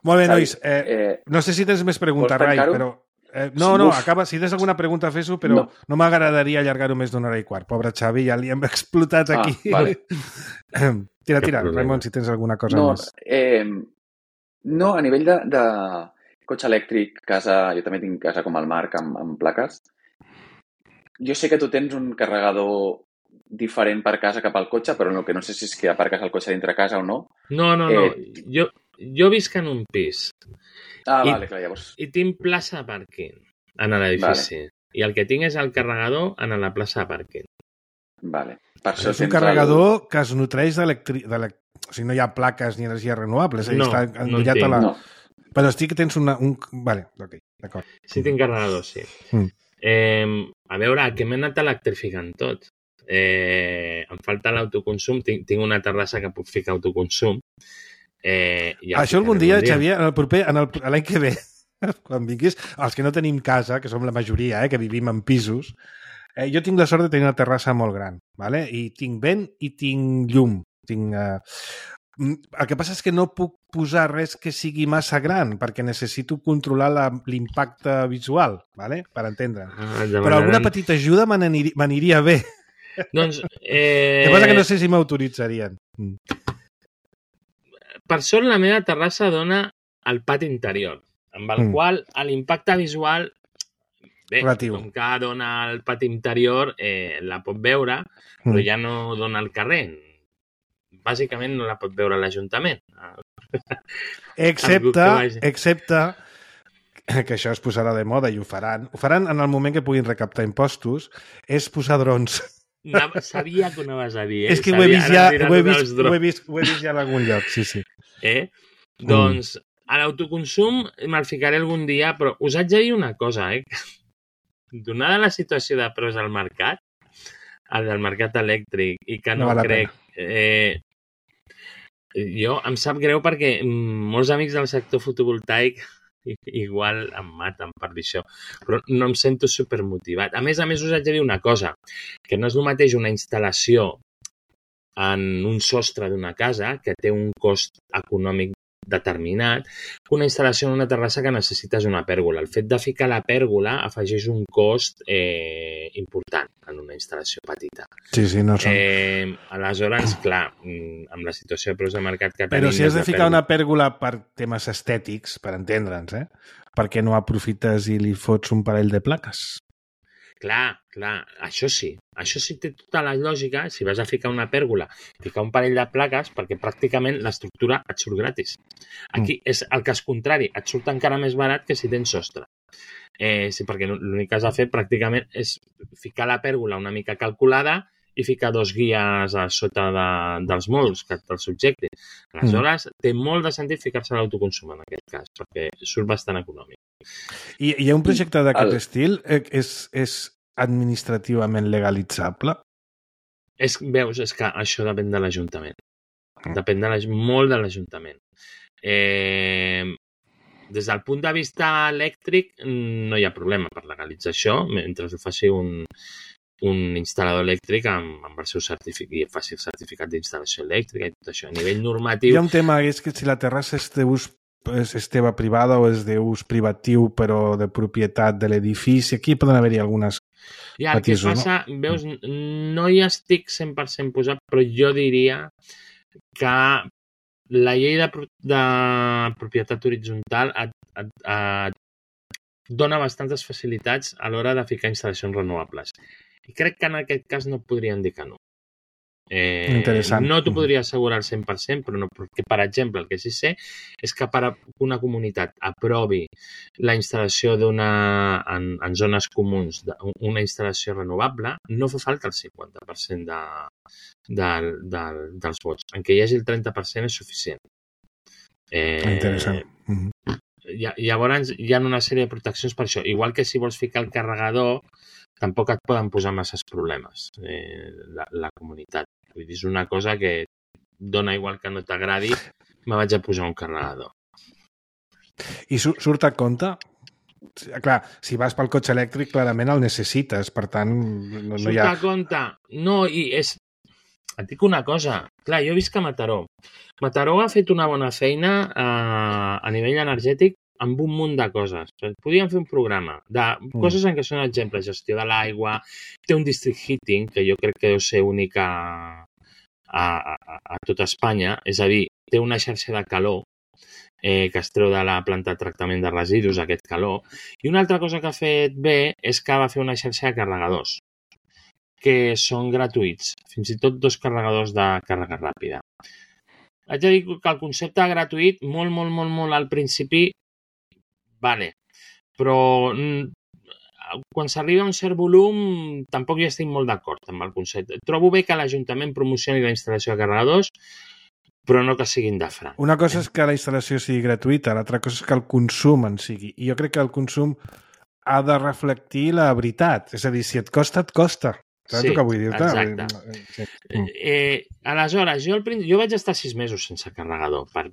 Molt bé, nois. Eh, Eh, no sé si tens més preguntes, vols Rai, tancar-ho? però... Eh, no, no, Uf. acaba. Si tens alguna pregunta, fes-ho, però no, No. no m'agradaria allargar-ho més d'una hora i quart. Pobre Xavi, ja li hem explotat Ah, aquí. vale. Tira, tira, Cap problema. Raimon, si tens alguna cosa no, més. eh, no, a nivell de, de cotxe elèctric, casa, jo també tinc casa com el Marc amb, amb plaques. Jo sé que tu tens un carregador diferent per casa cap al cotxe, però el que no sé si és que aparques el cotxe dintre casa o no. No, no, no. Eh, Jo, jo visc en un pis Ah, I- vale, clar, llavors... i tinc plaça de pàrquing en l'edifici. Vale. I el que tinc és el carregador en la plaça de pàrquing. Vale. Per això És un tens carregador que es nutreix d'electric... O sigui, no hi ha plaques ni energia renovable, és a dir, No, està no en endollat tinc. a la... El... No. Però estic que tens una... Un... Vale, ok, d'acord. Sí, tinc carregador, sí. Mm. Eh, a veure, que m'he anat electrificant tot. Eh, em falta l'autoconsum. Tinc, tinc una terrassa que puc ficar autoconsum. Eh, ja Això algun dia, Xavier, en el proper, en el, l'any que ve, quan vinguis, els que no tenim casa, que som la majoria, eh, que vivim en pisos, eh, jo tinc la sort de tenir una terrassa molt gran, ¿vale? I tinc vent i tinc llum. Tinc, eh... El que passa és que no puc posar res que sigui massa gran, perquè necessito controlar la, l'impacte visual, ¿vale? Per entendre. Ah, Però alguna petita ajuda me n'anir- m'aniria bé. Doncs, eh... El que passa que no sé si m'autoritzarien. Mm. Per sort, la meva terrassa dona al pati interior, amb el Mm. qual l'impacte visual, bé, Relatiu. com que dona al pati interior, eh, la pot veure, però Mm. ja no dona al carrer. Bàsicament no la pot veure l'Ajuntament. Excepte, Algú que vagi. excepte que això es posarà de moda i ho faran. Ho faran en el moment que puguin recaptar impostos, és posar drons. Anava- Sabia que ho anaves a dir, eh? És que ho he Sabia, vist ara ja, em diràs ho he dels vist, drons. ho he vist, ho he vist ja en algun lloc, sí, sí. Eh? Doncs a l'autoconsum me'l ficaré algun dia, però us haig de dir una cosa, eh? Donada la situació de preus al mercat, el del mercat elèctric, i que No no, val la crec... Eh, jo em sap greu perquè mm, molts amics del sector fotovoltaic i- igual em maten per dir això, però no em sento supermotivat. A més a més, us haig de dir una cosa, que no és el mateix una instal·lació en un sostre d'una casa que té un cost econòmic determinat que una instal·lació en una terrassa que necessites una pèrgola. El fet de ficar la pèrgola afegeix un cost eh, important en una instal·lació petita. Sí, sí, no són. Eh, aleshores, clar, mm, amb la situació de preus de mercat que tenim... Però si has de la ficar pèrgola- una pèrgola per temes estètics, per entendre'ns, eh? Per què no aprofites i li fots un parell de plaques? Clar, clar, això sí. Això sí té tota la lògica si vas a ficar una pèrgola, ficar un parell de plaques, perquè pràcticament l'estructura et surt gratis. Aquí és el cas contrari, et surt encara més barat que si tens sostre. Eh, sí, perquè l'únic que has de fer pràcticament és ficar la pèrgola una mica calculada i ficar dos guies a sota de, dels molts que te'ls subjectin. Aleshores, mm. té molt de sentit ficar-se a l'autoconsum en aquest cas, perquè surt bastant econòmic. I hi ha un projecte d'aquest El- estil? Eh, És, és administrativament legalitzable? És, veus, és que això depèn de l'Ajuntament. Mm. Depèn de l'aj- molt de l'Ajuntament. Eh, des del punt de vista elèctric no hi ha problema per legalitzar això, mentre ho faci un, un instal·lador elèctric amb, amb el seu certificat i faci el certificat d'instal·lació elèctrica i tot això. A nivell normatiu... Hi ha un tema, és que si la terrassa és d'ús és, és teva privada o és d'ús privatiu però de propietat de l'edifici, aquí poden haver-hi algunes I el que passa, no? Veus, no hi estic cent per cent posat, però jo diria que la llei de, de propietat horitzontal et, et, et dona bastantes facilitats a l'hora de ficar instal·lacions renovables. I crec que en aquest cas no podrien dir que no. Eh, Interessant. No t'ho podria assegurar al cent per cent, però no, perquè, per exemple, el que sí sé és que per una comunitat aprovi la instal·lació d'una en, en zones comuns una instal·lació renovable, no fa falta el cinquanta per cent de, de, de, dels vots. En què hi hagi el trenta per cent és suficient. Eh, Interessant. Mm-hmm. Llavors hi ha una sèrie de proteccions per això. Igual que si vols ficar el carregador, tampoc et poden posar masses problemes eh, la, la comunitat. Vull dir, és una cosa que dona igual que no t'agradi, me vaig a posar un carregador. I surt a compte? Clar, si vas pel cotxe elèctric, clarament el necessites, per tant, no, no hi ha... Surt a compte? No, i és... Et dic una cosa. Clar, jo visc a Mataró. Mataró ha fet una bona feina eh, a nivell energètic amb un munt de coses. Podríem fer un programa de coses en què són exemples. Gestió de l'aigua, té un district heating, que jo crec que deu ser única a, a, a tot Espanya. És a dir, té una xarxa de calor eh, que es treu de la planta de tractament de residus, aquest calor. I una altra cosa que ha fet bé és que va fer una xarxa de carregadors, que són gratuïts. Fins i tot dos carregadors de càrrega ràpida. Haig de dir que el concepte gratuït, molt, molt, molt, molt al principi, vale, però quan s'arriba a un cert volum tampoc hi estic molt d'acord amb el concepte. Trobo bé que l'Ajuntament promocioni la instal·lació de carregadors, però no que siguin de franc. Una cosa és que la instal·lació sigui gratuïta, l'altra cosa és que el consum en sigui. I jo crec que el consum ha de reflectir la veritat. És a dir, si et costa, et costa. Saps sí, el que vull dir-te? Exacte. Sí. Eh, aleshores, jo, al, jo vaig estar sis mesos sense carregador per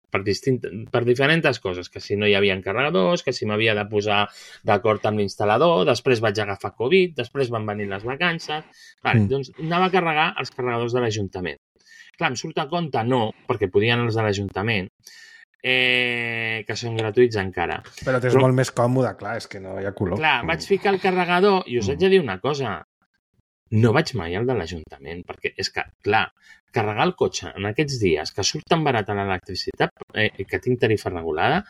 Per, distint, per diferents coses, que si no hi havia carregadors, que si m'havia de posar d'acord amb l'instal·lador, després vaig agafar Covid, després van venir les vacances... Vale, mm. Doncs anava a carregar els carregadors de l'Ajuntament. Clar, em surt a compte no, perquè podien els de l'Ajuntament, eh, que són gratuïts encara. Però t'és Però... molt més còmode, clar, és que no hi ha color. Clar, vaig ficar el carregador i us mm. haig de dir una cosa. No vaig mai al de l'Ajuntament, perquè és que, clar, carregar el cotxe en aquests dies que surt tan barat a l'electricitat, eh, que tinc tarifa regulada,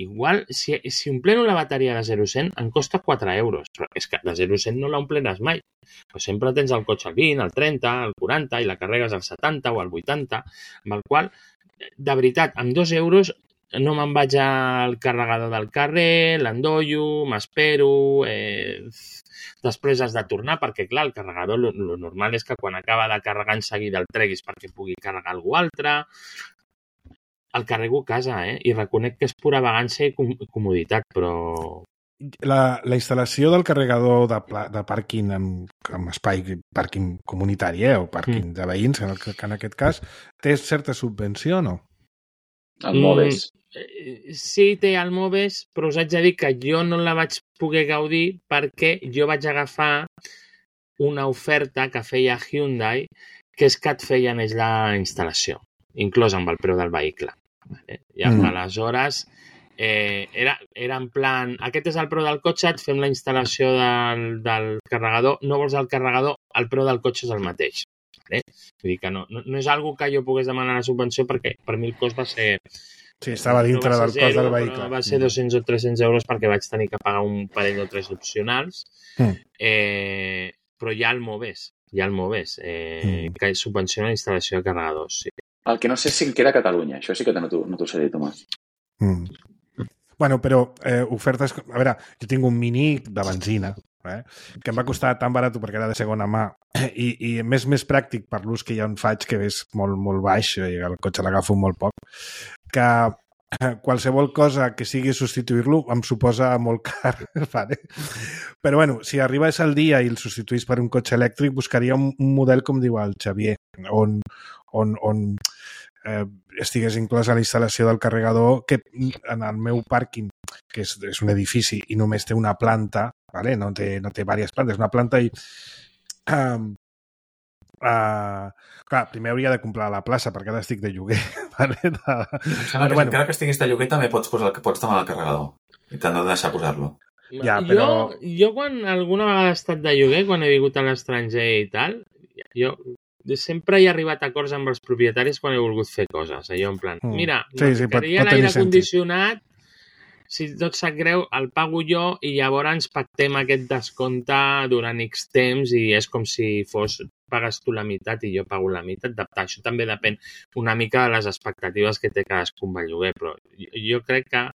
igual, si, si ompleno la bateria de zero a cent, em costa quatre euros. Però és que de zero a cent no l'ompleràs mai. Però sempre tens el cotxe al vint, al trenta, al quaranta, i la carregues al setanta o al vuitanta, amb el qual, de veritat, amb dos euros no me'n vaig al carregador del carrer, l'endollo, m'espero, eh, després has de tornar, perquè clar, el carregador, lo, lo normal és que quan acaba de carregar en seguida el treguis perquè pugui carregar algú altre. El carrego a casa, eh? I reconec que és pura vagància i com comoditat, però... La, la instal·lació del carregador de, de pàrquing amb, amb espai pàrquing comunitari, eh? O pàrquing mm. de veïns, en, el, que en aquest cas, té certa subvenció o no? El Moves. Mm, sí, té el Moves, però us haig de dir que jo no la vaig poder gaudir perquè jo vaig agafar una oferta que feia Hyundai, que és que et feien ells la instal·lació, inclòs amb el preu del vehicle. Vale? I mm. aleshores eh, era, era en plan, aquest és el preu del cotxe, et fem la instal·lació del, del carregador, no vols el carregador, el preu del cotxe és el mateix. Vale? Vull dir que no, no, no és algo que jo pogués demanar la subvenció perquè per mi el cost va ser... Sí, estava dintre del cost del vehicle. Va ser dos-cents o tres-cents euros perquè vaig tenir que pagar un parell o tres opcionals. Mm. Eh, però hi ha el Moves, hi ha el Moves, eh, mm. que subvenciona la instal·lació de carregadors. Sí. El que no sé és si en queda a Catalunya. Això sí que no t'ho no sé dir, Tomàs. Mm. Bueno, però eh, ofertes... A veure, jo tinc un Mini de benzina, eh, que em va costar tan barat perquè era de segona mà i, i més més pràctic per l'ús que ja en faig, que és molt, molt baix i el cotxe l'agafo molt poc, que qualsevol cosa que sigui substituir-lo em suposa molt car. Vale? Però bueno, si arribés el dia i el substituís per un cotxe elèctric, buscaria un, un model, com diu el Xavier, on, on, on eh, estigués inclosa la instal·lació del carregador, que en el meu pàrquing, que és, és un edifici i només té una planta, vale? no, té, no té diverses plantes, una planta i... Um, uh, clar, primer hauria de comprar la plaça perquè ara estic de lloguer. Vale? De... Em sembla que bueno, encara que estiguis de lloguer també pots, posar, pots tomar el carregador i t'han de deixar posar-lo. Ja, però... Jo, jo quan alguna vegada he estat de lloguer, quan he vingut a l'estranger i tal, jo sempre he arribat a acords amb els propietaris quan he volgut fer coses. Allò en plan, Mm. mira, Sí, sí, pot- ficaria pot tenir l'aire condicionat, si tot sap greu, el pago jo i llavors pactem aquest descompte durant X temps i és com si fos pagues tu la meitat i jo pago la meitat. Això també depèn una mica de les expectatives que té cadascun amb el lloguer, però jo, jo crec que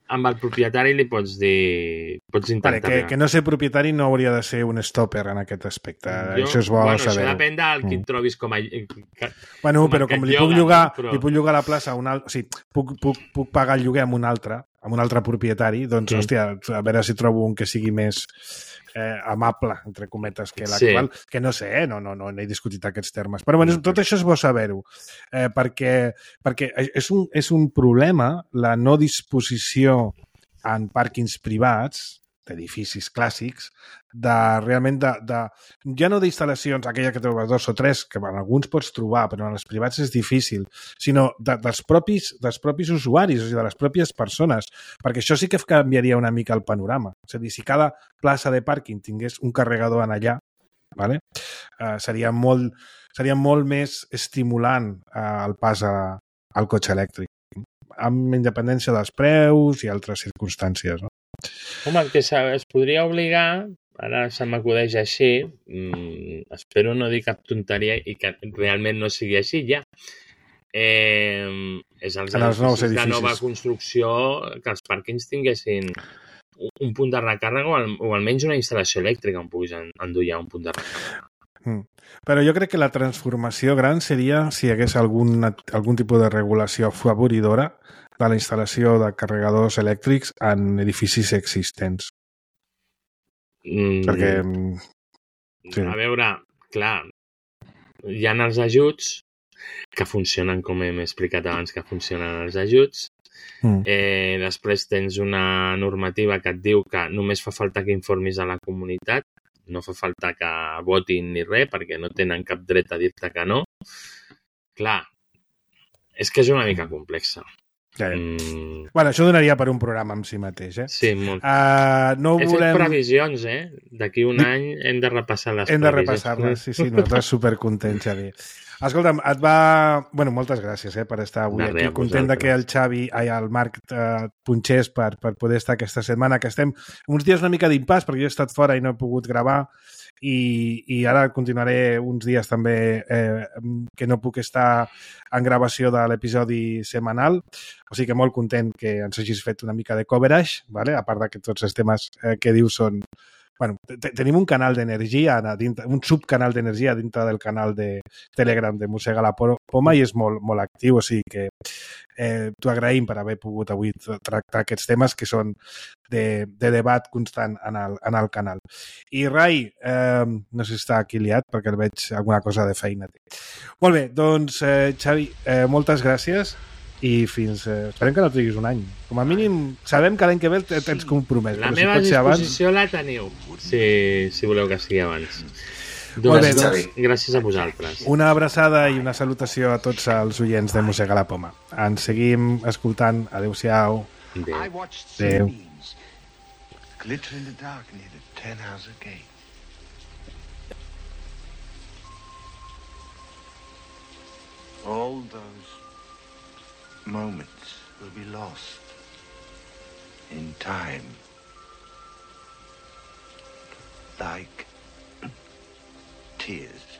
amb el propietari li pots dir... Pots intentar... Vale, que, que no ser propietari no hauria de ser un stopper en aquest aspecte. Jo, això és bo bueno, saber-ho. Això depèn del qui Mm. et trobis com a... Que, Bueno, com però el que com et li puc lloga, llogar, no? Però- li puc llogar a la plaça a un altre... O sigui, puc, puc, puc pagar el lloguer amb un altre, amb un altre propietari, doncs, Mm. hòstia, a veure si trobo un que sigui més eh, amable, entre cometes, que l'actual, sí. que no sé, eh? no, no, no, no he discutit aquests termes. Però bueno, tot això és bo saber-ho, eh, perquè, perquè és un, és un problema la no disposició en pàrquings privats, d'edificis clàssics, de realment de, de ja no d'instal·lacions, aquella que trobes dos o tres, que en alguns pots trobar, però en els privats és difícil, sinó de, dels, propis, dels propis usuaris, o sigui, de les pròpies persones, perquè això sí que canviaria una mica el panorama. És a dir, si cada plaça de pàrquing tingués un carregador en allà, vale? eh, seria, molt, seria molt més estimulant eh, el pas a, al cotxe elèctric, amb independència dels preus i altres circumstàncies. No? Home, el que es podria obligar, ara se m'acudeix així, mmm, espero no dir cap tonteria i que realment no sigui així ja, eh, és els, En els nous edificis de edificis. nova construcció que els pàrquings tinguessin un punt de recàrrega o, al, o almenys una instal·lació elèctrica on puguis endur ja un punt de recàrrega. Mm. Però jo crec que la transformació gran seria si hi hagués algun, algun tipus de regulació afavoridora de la instal·lació de carregadors elèctrics en edificis existents. Mm, Perquè... Sí. A veure, clar, hi ha els ajuts que funcionen com hem explicat abans que funcionen els ajuts. Mm. Eh, després tens una normativa que et diu que només fa falta que informis a la comunitat, no fa falta que votin ni res perquè no tenen cap dret a dir-te que no. Clar, és que és una mica complexa. Ja, ja. Mm. Bueno, això donaria per un programa en si mateix, eh? Sí, molt. Uh, no He volem... fet previsions, eh? D'aquí un any hem de repassar les hem previsions. Hem de repassar-les, sí, sí, nosaltres supercontents, Xavi. Escolta'm, et va... Bueno, moltes gràcies eh, per estar avui de aquí. Content de que el Xavi, ai, el Marc eh, punxés per, per poder estar aquesta setmana, que estem uns dies una mica d'impàs, perquè jo he estat fora i no he pogut gravar, i, i ara continuaré uns dies també eh, que no puc estar en gravació de l'episodi setmanal, o sigui que molt content que ens hagis fet una mica de coverage, vale? A part de que tots els temes eh, que dius són... Bueno, tenim un canal d'energia, un subcanal d'energia dintre del canal de Telegram de Mossega la Poma i és molt, molt actiu, o sigui que eh, t'ho agraïm per haver pogut avui tractar aquests temes que són de, de debat constant en el, en el canal. I Rai, eh, no sé si està aquí liat perquè el veig alguna cosa de feina. Molt bé, doncs eh, Xavi, eh, moltes gràcies. I fins... Eh, esperem que no triguis un any. Com a mínim, sabem que l'any que ve tens compromès. La però meva si disposició abans... la teniu, si, si voleu que sigui abans. Molt bé, doncs, gràcies a vosaltres. Una abraçada i una salutació a tots els oients de Mossega la Poma. Ens seguim escoltant. Adéu-siau. Adéu. Adéu. Glitter in the dark near the ten house gate. All those moments will be lost in time, like tears.